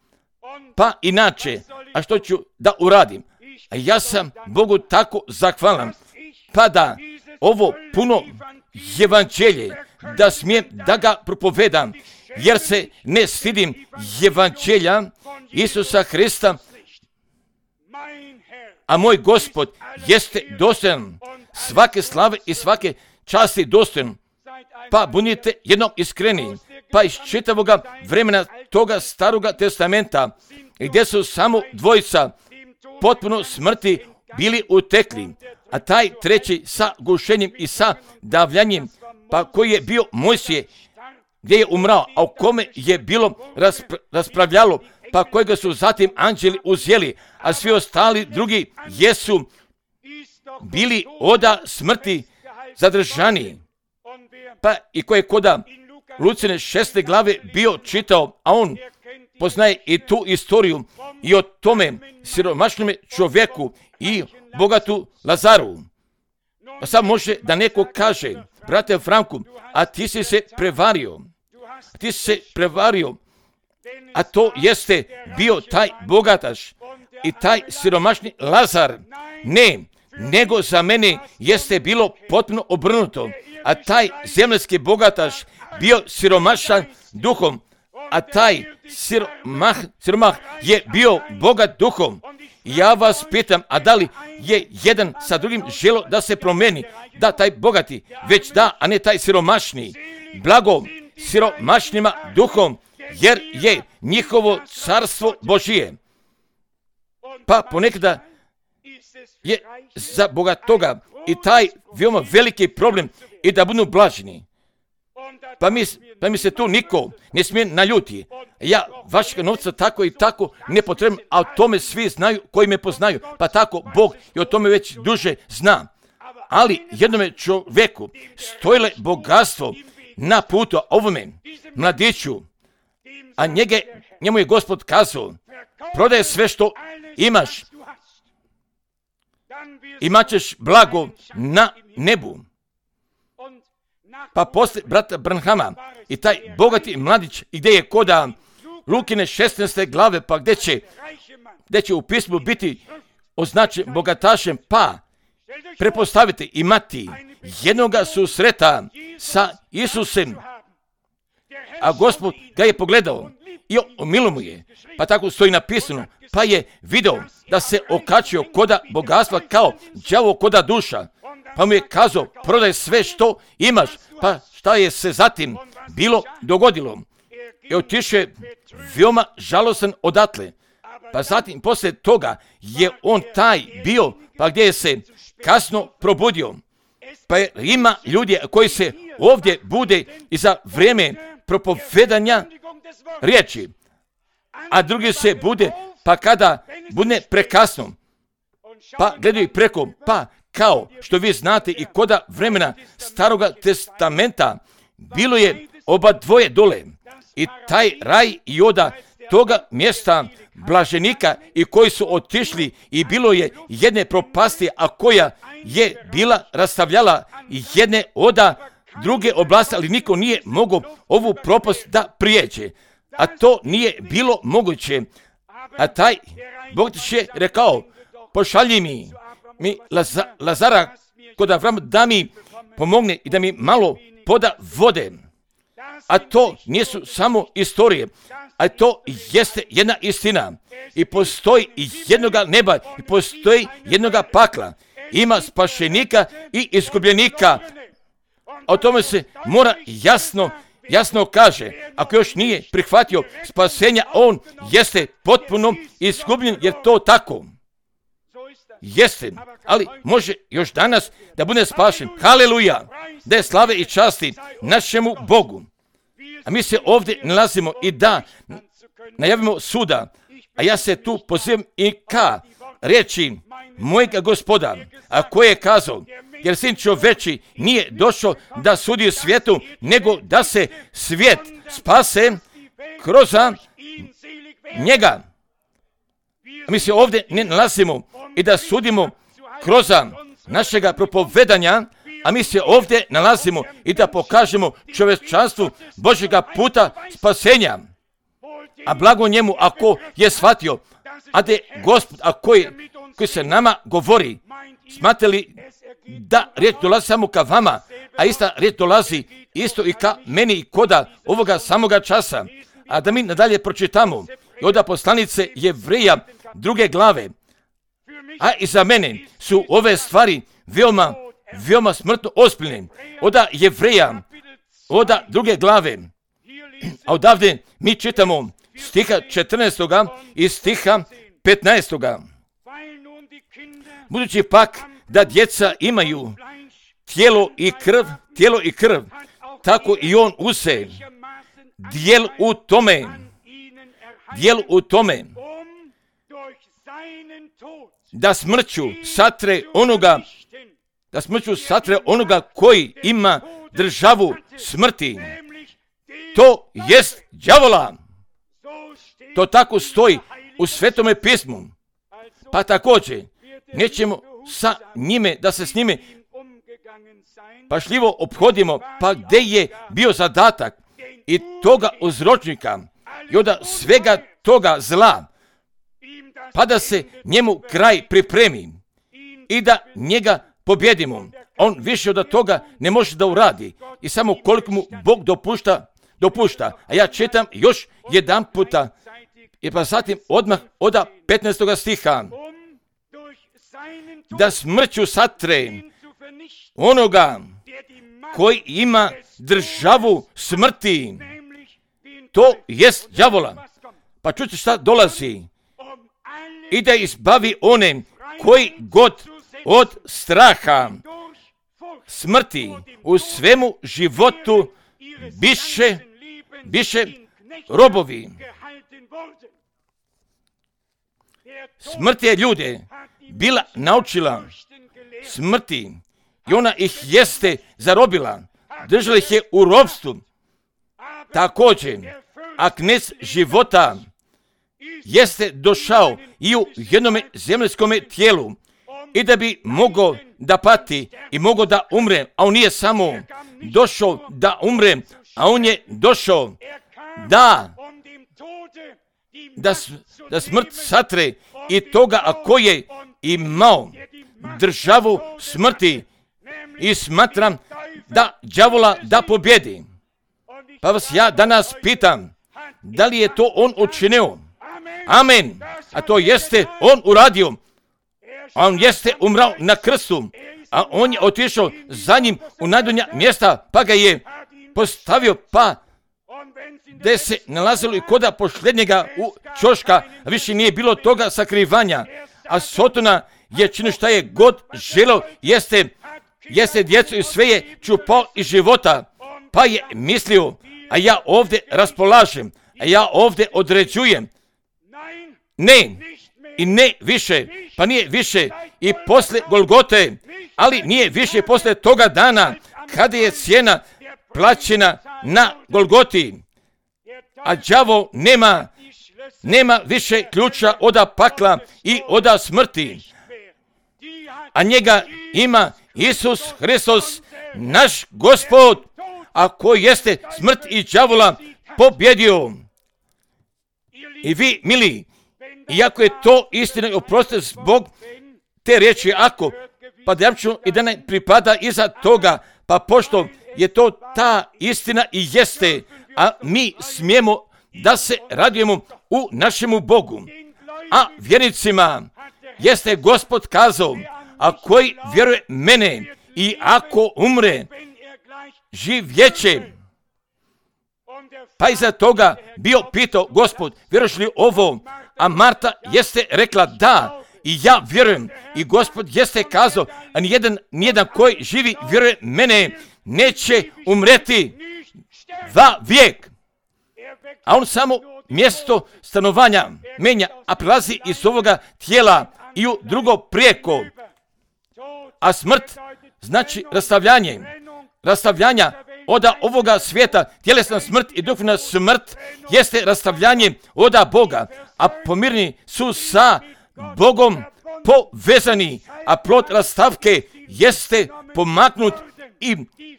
pa inače, a što ću da uradim? A ja sam Bogu tako zahvalan, pa da ovo puno evanđelje, da smijem da ga propovedam, jer se ne stidim evanđelja Isusa Hrista, a moj Gospod jeste dostojan svake slave i svake časti dostojan. pa budite jednom iskreni, pa iz čitavoga vremena toga staroga testamenta, gdje su samo dvojica potpuno smrti bili utekli, a taj treći sa gušenjem i sa davljanjem, pa koji je bio Mojsije, gdje je umrao, a u kome je bilo raspra- raspravljalo, pa kojega su zatim anđeli uzeli, a svi ostali drugi jesu bili oda smrti zadržani. Pa i koje koda Lucine šeste glave bio čitao, a on poznaje i tu istoriju i o tome siromašnome čovjeku i bogatu Lazaru. Pa sad može da neko kaže, brate Franku, a ti si se prevario, a ti si se prevario, a to jeste bio taj bogataš i taj siromašni Lazar. Ne, nego za mene jeste bilo potpuno obrnuto, a taj zemljski bogataš bio siromašan duhom, a taj siromah, siromah je bio bogat duhom. Ja vas pitam, a da li je jedan sa drugim želo da se promeni, da taj bogati, već da, a ne taj siromašni, blago siromašnima duhom, jer je njihovo carstvo Božije. Pa ponekada je za bogatoga i taj veoma veliki problem i da budu blaženi. Pa mi, pa mi se tu niko ne smije naljuti. Ja vašeg novca tako i tako ne potrebam, a o tome svi znaju koji me poznaju. Pa tako Bog i o tome već duže zna. Ali jednome čovjeku stojile bogatstvo na putu ovome mladiću, a njege, njemu je Gospod kazao, prodaje sve što imaš, imat ćeš blago na nebu. Pa poslije brata Branhama i taj bogati mladić, gdje je koda Lukine šesnaeste glave, pa gdje će, gdje će u pismu biti označen bogatašem, pa prepostaviti imati jednoga susreta sa Isusem, a Gospod ga je pogledao i omilo mu je, pa tako stoji napisano, pa je video da se okačio koda bogatstva kao đavo koda duša, pa mu je kazao, prodaj sve što imaš. Pa šta je se zatim bilo dogodilo? I otišao je veoma žalostan odatle. Pa zatim poslije toga je on taj bio, pa gdje je se kasno probudio. Pa je, ima ljudi koji se ovdje bude i za vrijeme propovedanja riječi, a drugi se bude pa kada bude prekasno, pa gledaju preko, pa kao što vi znate i koda vremena staroga testamenta bilo je oba dvoje dole i taj raj i oda toga mjesta blaženika i koji su otišli i bilo je jedne propasti, a koja je bila rastavljala jedne oda druge oblasti, ali niko nije mogao ovu propast da prijeđe, a to nije bilo moguće. A taj bogatiš je rekao, pošalji mi, mi Laza, Lazara kod Avrama da mi pomogne i da mi malo poda vode. A to nisu samo istorije, a to jeste jedna istina. I postoji jednoga neba, i postoji jednoga pakla. Ima spašenika i izgubljenika. O tome se mora jasno, jasno kaže. Ako još nije prihvatio spasenja, on jeste potpuno izgubljen, jer to tako jeste, ali može još danas da bude spašen. Haleluja! Da je slave i časti našemu Bogu. A mi se ovdje nalazimo i da najavimo suda, a ja se tu pozivam i ka riječi mojega Gospoda, a koje je kazao, jer sin čoveči nije došao da sudi svijetu, nego da se svijet spase kroz njega. A mi se ovdje ne nalazimo i da sudimo kroz našega propovedanja, a mi se ovdje nalazimo i da pokažemo čovječanstvu Božjega puta spasenja. A blago njemu ako je shvatio, a da je Gospod, a koji, koji se nama govori, smatrali da riječ dolazi samo ka vama, a ista riječ dolazi isto i ka meni i koda ovoga samoga časa. A da mi nadalje pročitamo i od poslanice Jevreja druge glave. A i za mene su ove stvari veoma, veoma smrtno ozbiljne. Od Jevreja oda druge glave. A odavde mi čitamo stiha četrnaestoga i stiha petnaestoga. Budući pak da djeca imaju tijelo i krv, tijelo i krv, tako i on use dijel u tome, dijel u tome, da smrću satre onoga, da smrću satre onoga koji ima državu smrti. To jest đavola. To tako stoji u Svetome pismu. Pa također nećemo sa njime, da se s njime pašljivo ophodimo, pa gdje je bio zadatak i toga uzročnika i onda svega toga zla, pa da se njemu kraj pripremi i da njega pobjedimo. On više od toga ne može da uradi i samo koliko mu Bog dopušta, dopušta. A ja čitam još jedan puta i pa zatim odmah od petnaestoga stiha. Da smrću satre onoga koji ima državu smrti. To jest đavola. Pa čujte šta dolazi. I da izbavi one koji god od straha smrti u svemu životu biše, biše robovi. Smrt je ljude bila naučila smrti i ona ih jeste zarobila, držala ih je u ropstvu. Također, a knez života jeste došao i u jednome zemaljskome tijelu i da bi mogao da pati i mogao da umre, a on nije samo došao da umre, a on je došao da da, da smrt satre i toga a ko je imao državu smrti i smatram da đavola da pobjedi. Pa vas ja danas pitam, da li je to on učinio? Amen. A to jeste on uradio. On jeste umrao na krstu, a on je otišao za njim u najdonja mjesta, pa ga je postavio, pa gdje se nalazilo i koda posljednjega u čoška, a više nije bilo toga sakrivanja. A Sotona je činio šta je god želeo, jeste, jeste djecu i sve je čupao iz života, pa je mislio, a ja ovdje raspolažem, a ja ovdje određujem. Ne, i ne više, pa nije više i posle Golgote, ali nije više posle toga dana kada je cijena plaćena na Golgoti. A đavo nema, nema više ključa oda pakla i oda smrti. A njega ima Isus Hristos, naš Gospod, a koji jeste smrt i đavola pobjedio. I vi, mili, iako je to istina i oprostite zbog te riječi ako, pa da ja ću i da ne pripada iza toga, pa pošto je to ta istina i jeste, a mi smijemo da se radujemo u našemu Bogu. A vjernicima jeste Gospod kazao, a koji vjeruje mene i ako umre, živjeće. Pa iza toga bio pitao Gospod, vjeruješ li ovo? A Marta jeste rekla da, i ja vjerujem. I Gospod jeste kazao, a nijedan, nijedan koji živi vjeruje mene neće umreti va vijek. A on samo mjesto stanovanja menja, a prelazi iz ovoga tijela i u drugo prijeko. A smrt znači rastavljanje, rastavljanja oda ovoga svijeta, tjelesna smrt i duhovna smrt jeste rastavljanje oda Boga, a pomirni su sa Bogom povezani, a plod rastavke jeste pomaknut i,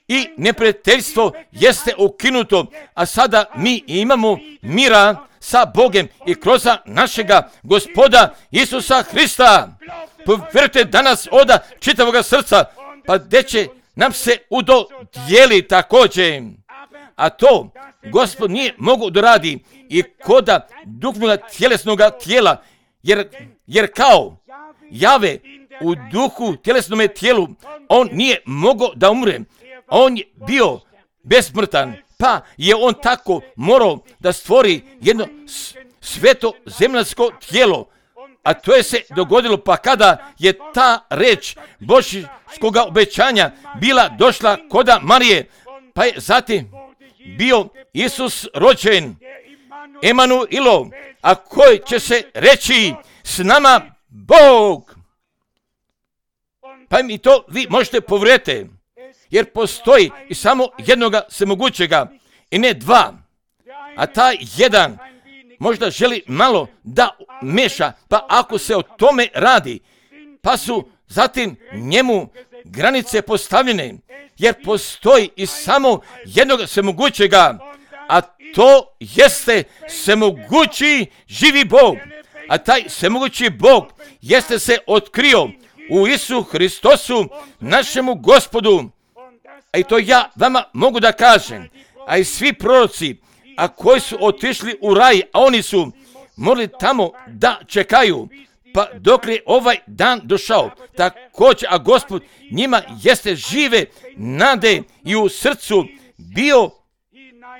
i neprijateljstvo jeste ukinuto, a sada mi imamo mira sa Bogom i kroz našega Gospoda Isusa Hrista. Povjerujte danas oda čitavoga srca, pa gdje će nam se udodijeli također. A to Gospod nije mogu doradi i koda duhovnoga tjelesnoga tijela, jer, jer kao Jave u duhu tjelesnome tijelu, on nije mogao da umre. On je bio besmrtan, pa je on tako morao da stvori jedno sveto zemaljsko tijelo. A to je se dogodilo pa kada je ta reč božjskoga obećanja bila došla koda Marije, pa je zatim bio Isus rođen, Emanuilo, a koji će se reći s nama Bog. Pa mi to vi možete povjeriti, jer postoji i samo jednoga svemogućega i ne dva, a taj jedan možda želi malo da meša, pa ako se o tome radi, pa su zatim njemu granice postavljene, jer postoji i samo jednog svemogućega, a to jeste svemogući živi Bog. A taj svemogući Bog jeste se otkrio u Isu Hristosu, našemu Gospodu. A i to ja vama mogu da kažem, a i svi proroci, a koji su otišli u raj, a oni su morali tamo da čekaju, pa dok je ovaj dan došao, također, a Gospod njima jeste žive nade i u srcu bio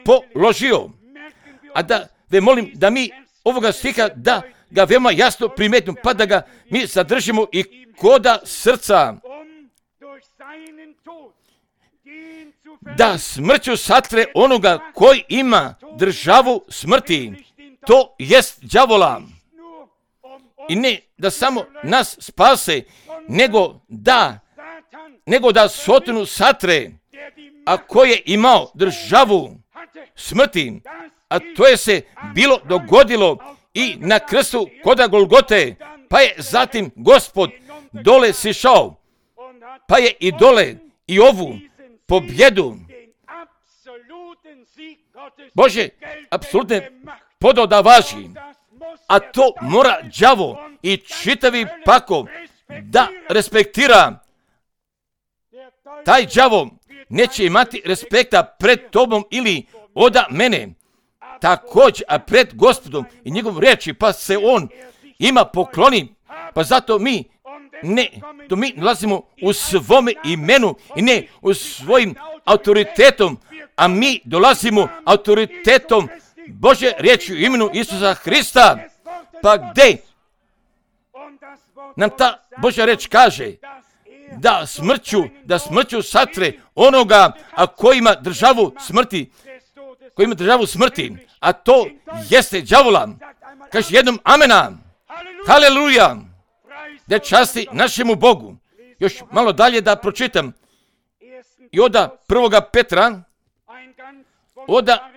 položio. A da ve molim da mi ovoga stiha da ga veoma jasno primetimo, pa da ga mi zadržimo i koda srca, da smrću satre onoga koji ima državu smrti, to jest đavola. I ne da samo nas spase, nego da, nego da sotonu satre, a koji je imao državu smrti, a to je se bilo dogodilo i na krstu koda Golgote, pa je zatim Gospod dole sišao, pa je i dole i ovu pobjedu Bože apsolutne podao da važi, a to mora đavo i čitavi pakao da respektira. Taj đavo neće imati respekta pred tobom ili oda mene, također, a pred Gospodom i njegovom riječi, pa se on ima pokloni, pa zato mi ne, to mi nalazimo u svome imenu i ne u svojim autoritetom, a mi dolazimo autoritetom Bože riječi u imenu Isusa Hrista. Pa gdje nam ta Božja riječ kaže da smrću, da smrću satre onoga, a koji ima državu smrti, koji ima državu smrti, a to jeste đavola. Kaže jednom amena, haleluja, da časti našemu Bogu. Još malo dalje da pročitam. I oda prvoga Petra, oda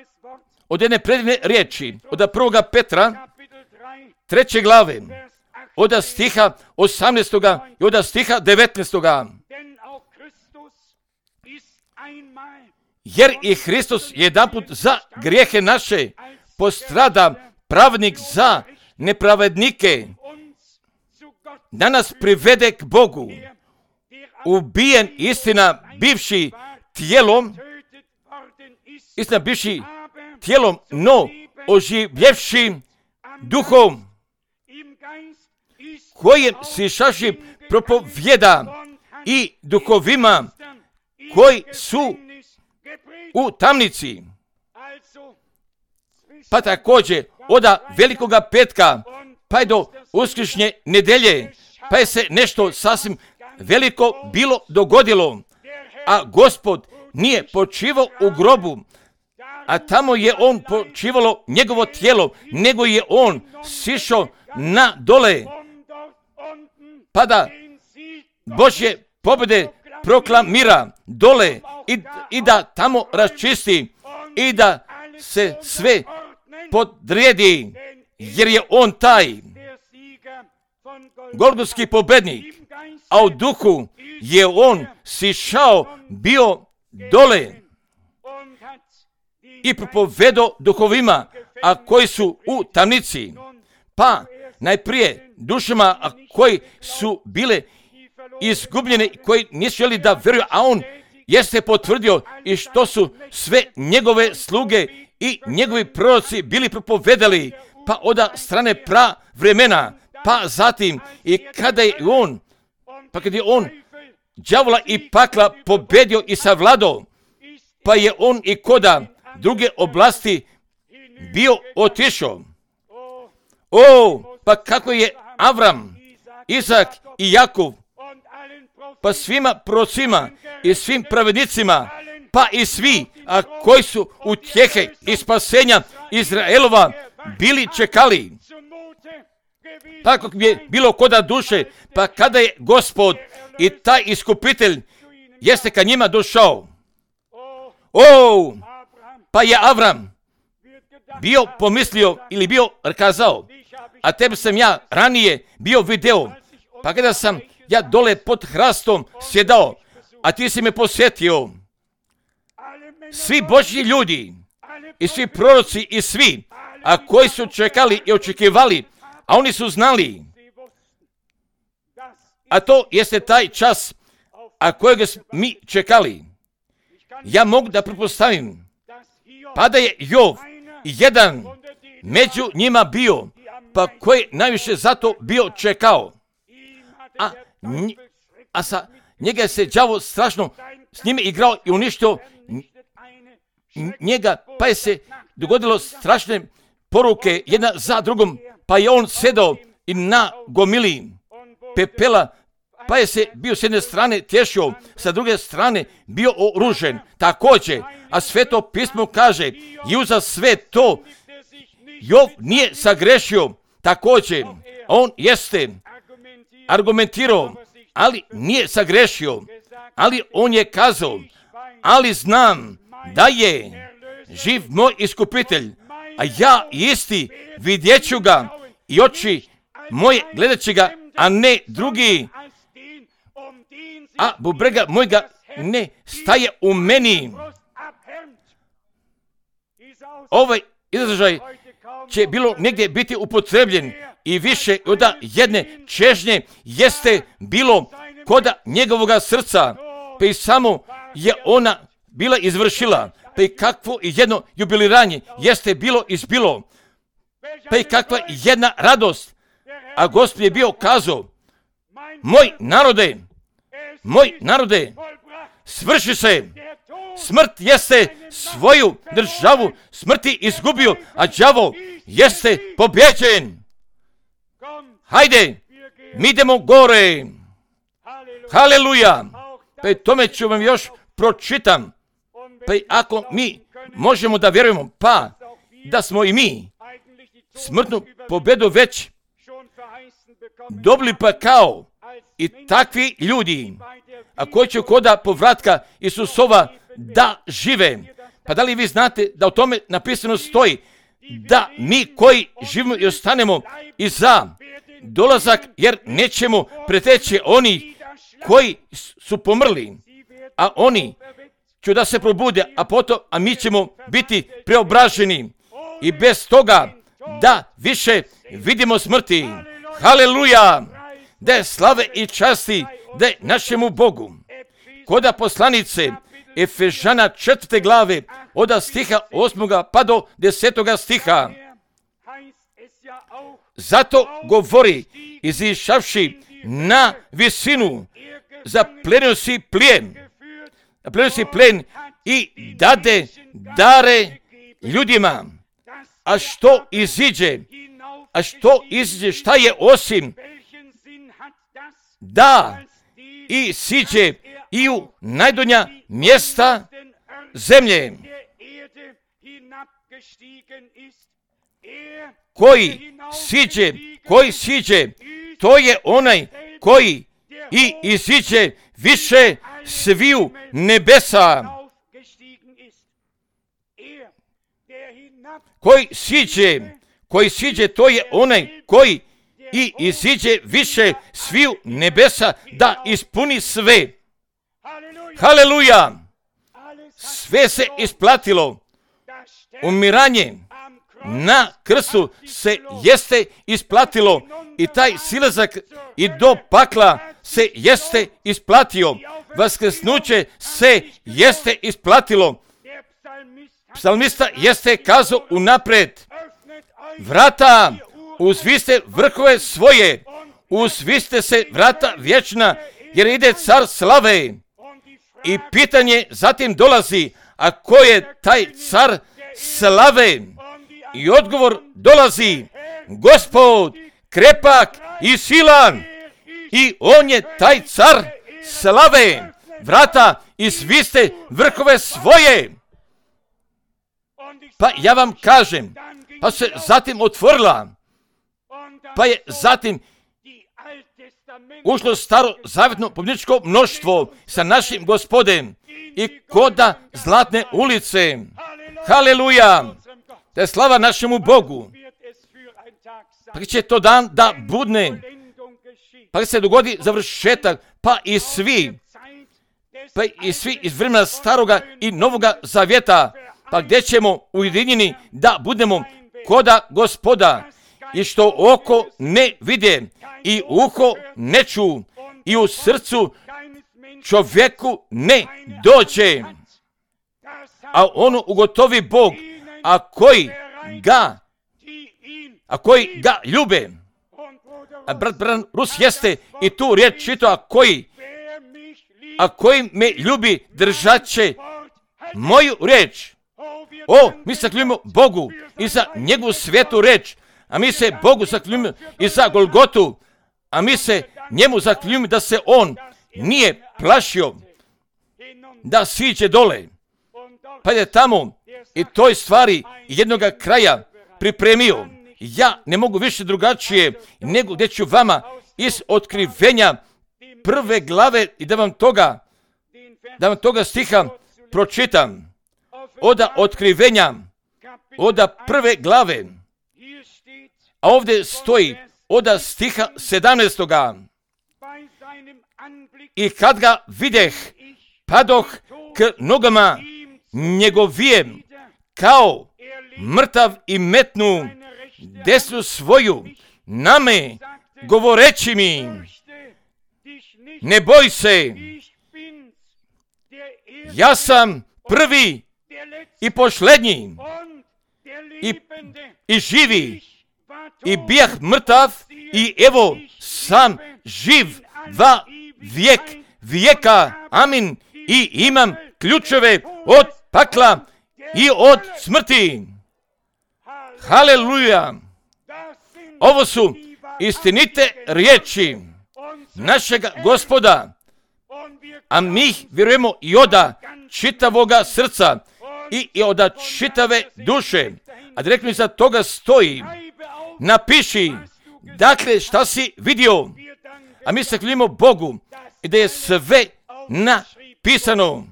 od jedne predivne riječi, oda prvoga Petra, treće glave, oda stiha osamnaestoga i oda stiha devetnaestoga. Jer i Hristos jedanput za grijehe naše postrada, pravednik za nepravednike, da nas privede k Bogu, ubijen istina bivši tijelom, istina bivši tijelom, no oživljevši duhom, kojem sišaši propovjeda i duhovima koji su u tamnici. Pa također oda velikoga petka, pa je do uskršnje nedelje, pa je se nešto sasvim veliko bilo dogodilo, a Gospod nije počivao u grobu, a tamo je on počivalo njegovo tijelo, nego je on sišao na dole, pa da Božje pobjede proklamira dole i, i da tamo raščisti i da se sve podredi, jer je on taj golgotski pobednik, a u duhu je on sišao bio dole i propovedao duhovima, a koji su u tamnici, pa najprije dušama, a koji su bile izgubljene, koji nisu želi da vjeruju, a on jeste potvrdio i što su sve njegove sluge i njegovi proroci bili propovedali, pa oda strane pra vremena, pa zatim i kada je on, pa kada je on đavola i pakla pobedio i savladao, pa je on i koda druge oblasti bio otišao. O, pa kako je Avram, Izak i Jakov, pa svima prorocima i svim pravednicima, pa i svi, a koji su utjehe i spasenja Izraelova bili čekali. Tako je bilo koda duše, pa kada je Gospod i taj iskupitelj jeste ka njima došao. O, pa je Avram bio pomislio ili bio kazao, a tebi sam ja ranije bio video, pa kada sam ja dole pod hrastom sjedao, a ti si me posjetio. Svi Božji ljudi i svi proroci i svi, a koji su čekali i očekivali, a oni su znali, a to jeste taj čas, a kojeg mi čekali. Ja mogu da pretpostavim, pa da je Jov jedan među njima bio, pa koji najviše zato bio čekao. A, nj, a sa njega se đavo strašno s njime igrao i uništio njega, pa je se dogodilo strašne poruke jedna za drugom, pa je on sedao i na gomili pepela, pa je se bio s jedne strane tješio, sa druge strane bio oružen. Također, a Sveto pismo kaže, i uza sve to Jov nije sagrešio. Također, on jeste argumentirao, ali nije sagrešio. Ali on je kazao, ali znam da je živ moj iskupitelj, a ja isti vidjet ću ga i oči moje gledat će ga, a ne drugi. A bubrega mojega ne staje u meni. Ovaj izražaj će bilo negdje biti upotrebljen i više od jedne čežnje jeste bilo koda njegovoga srca, pa i samo je ona bila izvršila, pa i kakvo jedno jubiliranje jeste bilo izbilo, pa i kakva jedna radost, a Gospod je bio kazao, moj narode, moj narode, svrši se, smrt jeste svoju državu smrti izgubio, a đavo jeste pobjeđen. Hajde, mi idemo gore. Haleluja. Pa i tome ću vam još pročitam. Pa i ako mi možemo da vjerujemo, pa da smo i mi smrtnu pobjedu već dobili, pa kao i takvi ljudi, a koji će koda povratka Isusova da žive. Pa da li vi znate da u tome napisano stoji da mi koji živimo i ostanemo i za dolazak, jer nećemo preteći oni koji su pomrli, a oni će da se probude, a potom, a mi ćemo biti preobraženi i bez toga da više vidimo smrti. Haleluja! Da je slave i časti da je našemu Bogu. Koda poslanice Efežana četvrte glave od stiha osmoga pa do desetoga stiha. Zato govori, izišavši na visinu, zaplenio si plijen, zaplenio si plijen i dade dare ljudima. A što iziđe, a što iziđe, šta je osim da i siđe i u najdonja mjesta zemlje, koji siđe, koji siđe, to je onaj koji i iziđe više sviju nebesa. Koji siđe, koji siđe, to je onaj koji i iziđe više sviju nebesa da ispuni sve. Haleluja! Sve se isplatilo. Umiranje na krstu se jeste isplatilo i taj silazak i do pakla se jeste isplatio. Vaskrsnuće se jeste isplatilo. Psalmista jeste kazao unapred, vrata, uzviste vrhove svoje, uzviste se vrata vječna, jer ide car slave. I pitanje zatim dolazi, a ko je taj car slave? I odgovor dolazi, Gospod krepak i silan, i on je taj car slave. Vrata i sviste vrhove svoje. Pa ja vam kažem, pa se zatim otvorila, pa je zatim ušlo staro zavjetno pobjedničko mnoštvo sa našim Gospodem i koda Zlatne ulice. Haleluja! Da je slava našemu Bogu. Pa će to dan da budne, pa se dogodi završetak, pa i svi, pa i svi iz vremena staroga i novoga zavjeta, pa gdje ćemo ujedinjeni da budemo koda Gospoda, i što oko ne vide i uho ne ču i u srcu čovjeku ne dođe, a ono ugotovi Bog, a koji ga, a koji ga ljube. A brat Bran Rus jeste i tu riječ čitao, a koji, a koji me ljubi držat će moju riječ. O, mi se zaklinjujemo Bogu i za njegovu svetu riječ, a mi se Bogu zaklinjujemo i za Golgotu, a mi se njemu zaklinjujemo da se on nije plašio da siđe dole, pa je tamo i toj stvari jednoga kraja pripremio. Ja ne mogu više drugačije nego gdje ću vama iz otkrivenja prve glave i da vam toga, da vam toga stiha pročitam. Oda otkrivenja, oda prve glave, a ovdje stoji oda stiha sedamnaestoga. I kad ga videh, padoh k nogama njegovijem, kao mrtav i metnu desnu svoju na me, govoreći mi, ne boj se, ja sam prvi i posljednji i, i živi, i bijah mrtav i evo sam živ va vijek vijeka, amin, i imam ključeve od pakla i od smrti. Haleluja! Ovo su istinite riječi našega Gospoda, a mi vjerujemo i oda čitavoga srca i, i oda čitave duše. A direktno iza toga stoji, napiši, dakle, šta si vidio, a mi se hvalimo Bogu i da je sve napisano.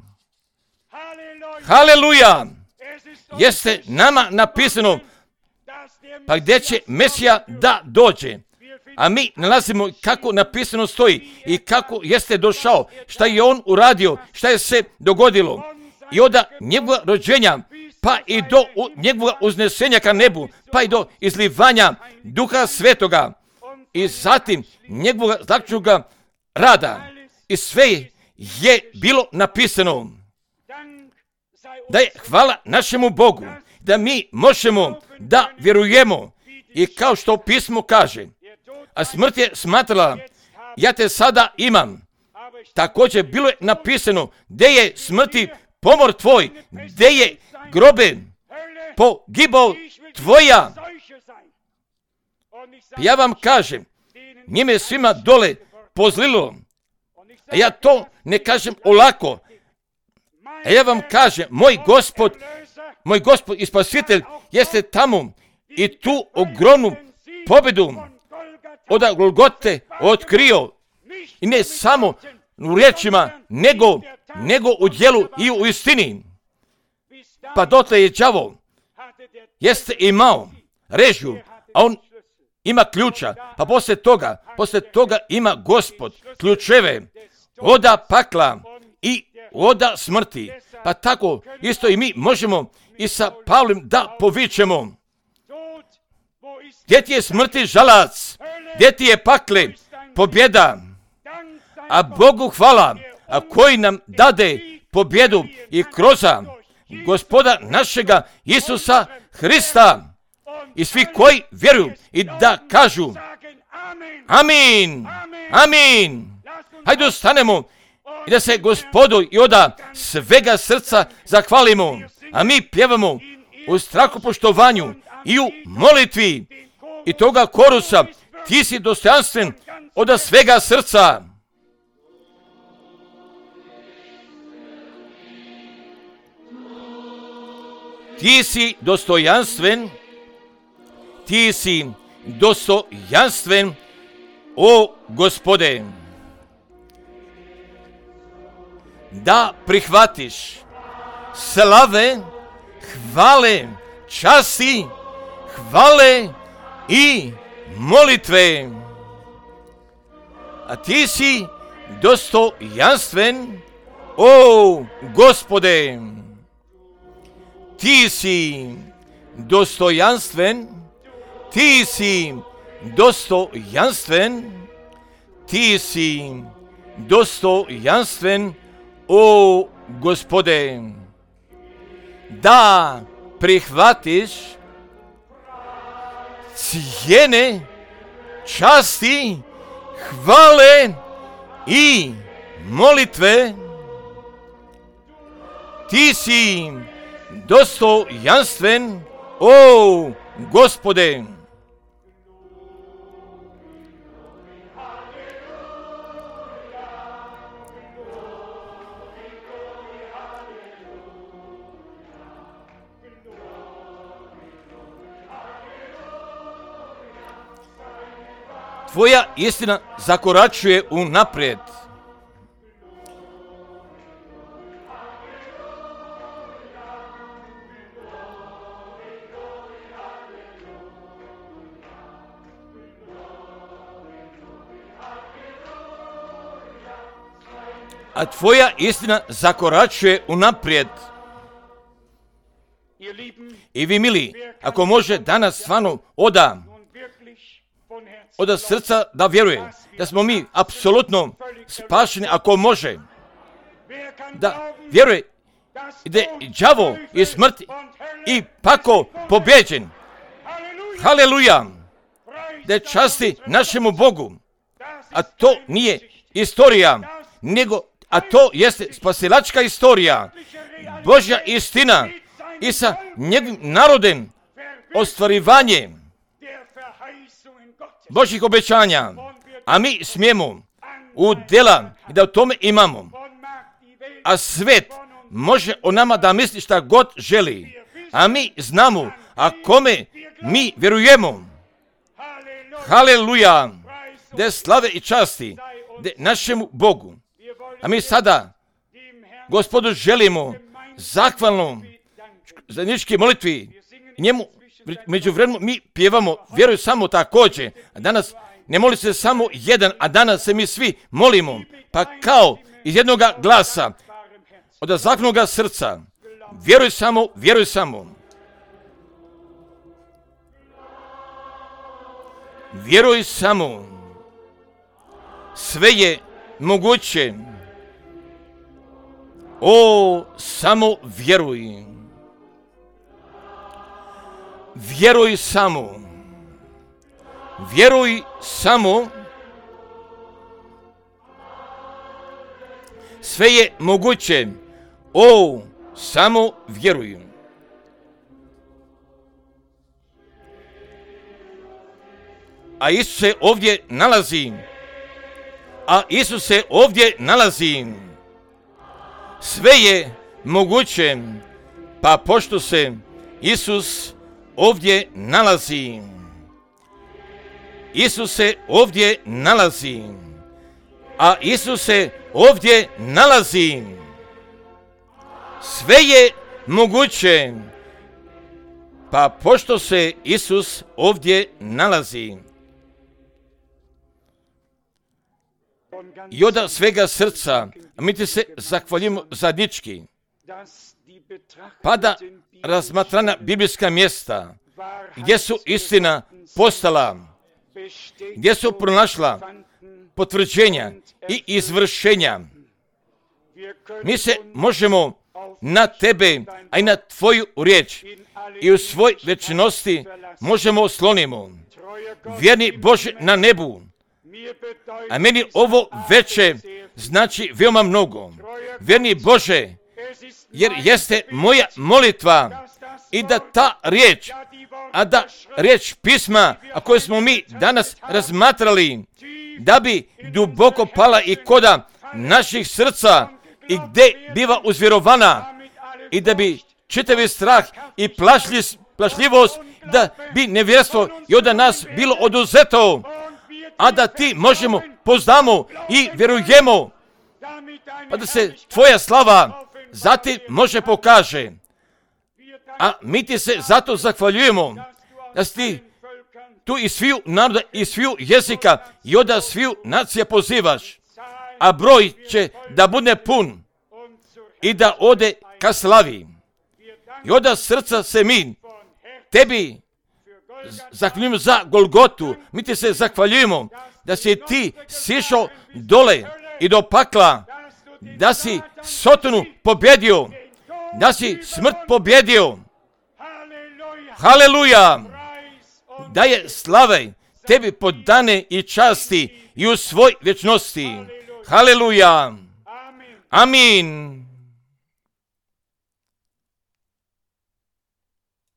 Haleluja! Jeste nama napisano, pa gdje će Mesija da dođe, a mi nalazimo kako napisano stoji i kako jeste došao, šta je on uradio, šta je se dogodilo, i od njegova rođenja pa i do njegova uznesenja ka nebu, pa i do izlivanja Duha Svetoga, i zatim njegovog zaključnoga rada, i sve je bilo napisano. Da je hvala našemu Bogu, da mi možemo da vjerujemo, i kao što pismo kaže, a smrt je smatrala, ja te sada imam. Također bilo je napisano, gdje je smrti pomor tvoj, gdje je grobe pogibao tvoja. Ja vam kažem, njime svima dole pozlilo, a ja to ne kažem olako, a ja vam kažem, moj Gospod, moj Gospod i Spasitelj jeste tamo i tu ogromnu pobjedu od Golgote otkrio, i ne samo u riječima, nego, nego u djelu i u istini. Pa dotle je đavo jeste imao režiju, a on ima ključa, pa poslije toga, poslije toga ima Gospod ključeve oda pakla i oda smrti. Pa tako isto i mi možemo i sa Pavlom da povičemo, gdje ti je smrti žalac, gdje ti je pakle pobjeda, a Bogu hvala, a koji nam dade pobjedu i kroz Gospoda našega Isusa Hrista, i svi koji vjeruju i da kažu amin, amin. Hajde ostanemo i da se Gospodu i oda svega srca zahvalimo, a mi pjevamo u strahopoštovanju i u molitvi i toga korusa, ti si dostojanstven oda svega srca. Ti si dostojanstven, ti si dostojanstven, o Gospode, da prihvatiš slave, hvale, časti, hvale i molitve. A ti si dostojanstven, o Gospode. Ti si dostojanstven, ti si dostojanstven, ti si dostojanstven, o Gospode, da prihvatiš cijene, časti, hvale i molitve. Ti si dostojanstven, o Gospode. Tvoja istina zakoračuje unaprijed. A tvoja istina zakoračuje unaprijed. I vi mili, ako može danas stvarno oda, oda srca da vjeruje, da smo mi apsolutno spašeni, ako može, da vjeruje da je đavo i smrt i pako pobjeđen. Haleluja! Da je časti našemu Bogu. A to nije istorija, nego, a to jeste spasilačka istorija, Božja istina i sa njegovim narodem ostvarivanje Božjih obećanja, a mi smijemo u djela i da u tome imamo. A svet može o nama da misli šta god želi, a mi znamo, a kome mi vjerujemo. Haleluja, da slave i časti da našemu Bogu. A mi sada Gospodu želimo zahvalno zajednički molitvi njemu. Među vremenu mi pjevamo, vjeruju samo također, a danas ne moli se samo jedan, a danas se mi svi molimo, pa kao iz jednog glasa, od zahvalnog srca, vjeruj samo, vjeruj samo. Vjeruj samo, sve je moguće, o, samo vjeruj. Vjeruj samo, vjeruj samo, sve je moguće, o, samo vjeruj. A Isus se ovdje nalazi, a Isus se ovdje nalazi, sve je moguće, pa pošto se Isus ovdje nalazi. Isus se ovdje nalazi. A Isus se ovdje nalazi. Sve je moguće. Pa pošto se Isus ovdje nalazi. I od svega srca, mi ti se zahvaljujemo zajednički. Pa da razmatrana biblijska mjesta, gdje su istina postala, gdje su pronašla potvrđenja i izvršenja. Mi se možemo na tebe, a i na tvoju riječ i u svoj večnosti možemo oslonimo. Vjerni Bože na nebu, a meni ovo veče znači veoma mnogo. Vjerni Bože, jer jeste moja molitva i da ta riječ, a da riječ pisma, a koju smo mi danas razmatrali, da bi duboko pala i koda naših srca i gdje biva uzvjerovana i da bi čitavi strah i plašljivost, da bi nevjerstvo i od nas bilo oduzeto, a da ti možemo, poznamo i vjerujemo, pa da se tvoja slava zatim može pokaže. A mi ti se zato zahvaljujemo da si ti tu i sviju naroda i sviju jezika i od sviju nacija pozivaš, a broj će da bude pun i da ode ka slavi. I od srca se mi tebi zahvaljujemo za Golgotu. Mi ti se zahvaljujemo da si ti sišao dole i do pakla, da si Sotonu pobjedio, da si smrt pobjedio. Haleluja! Da je slave tebi podane i časti i u svoj vječnosti. Haleluja! Amin!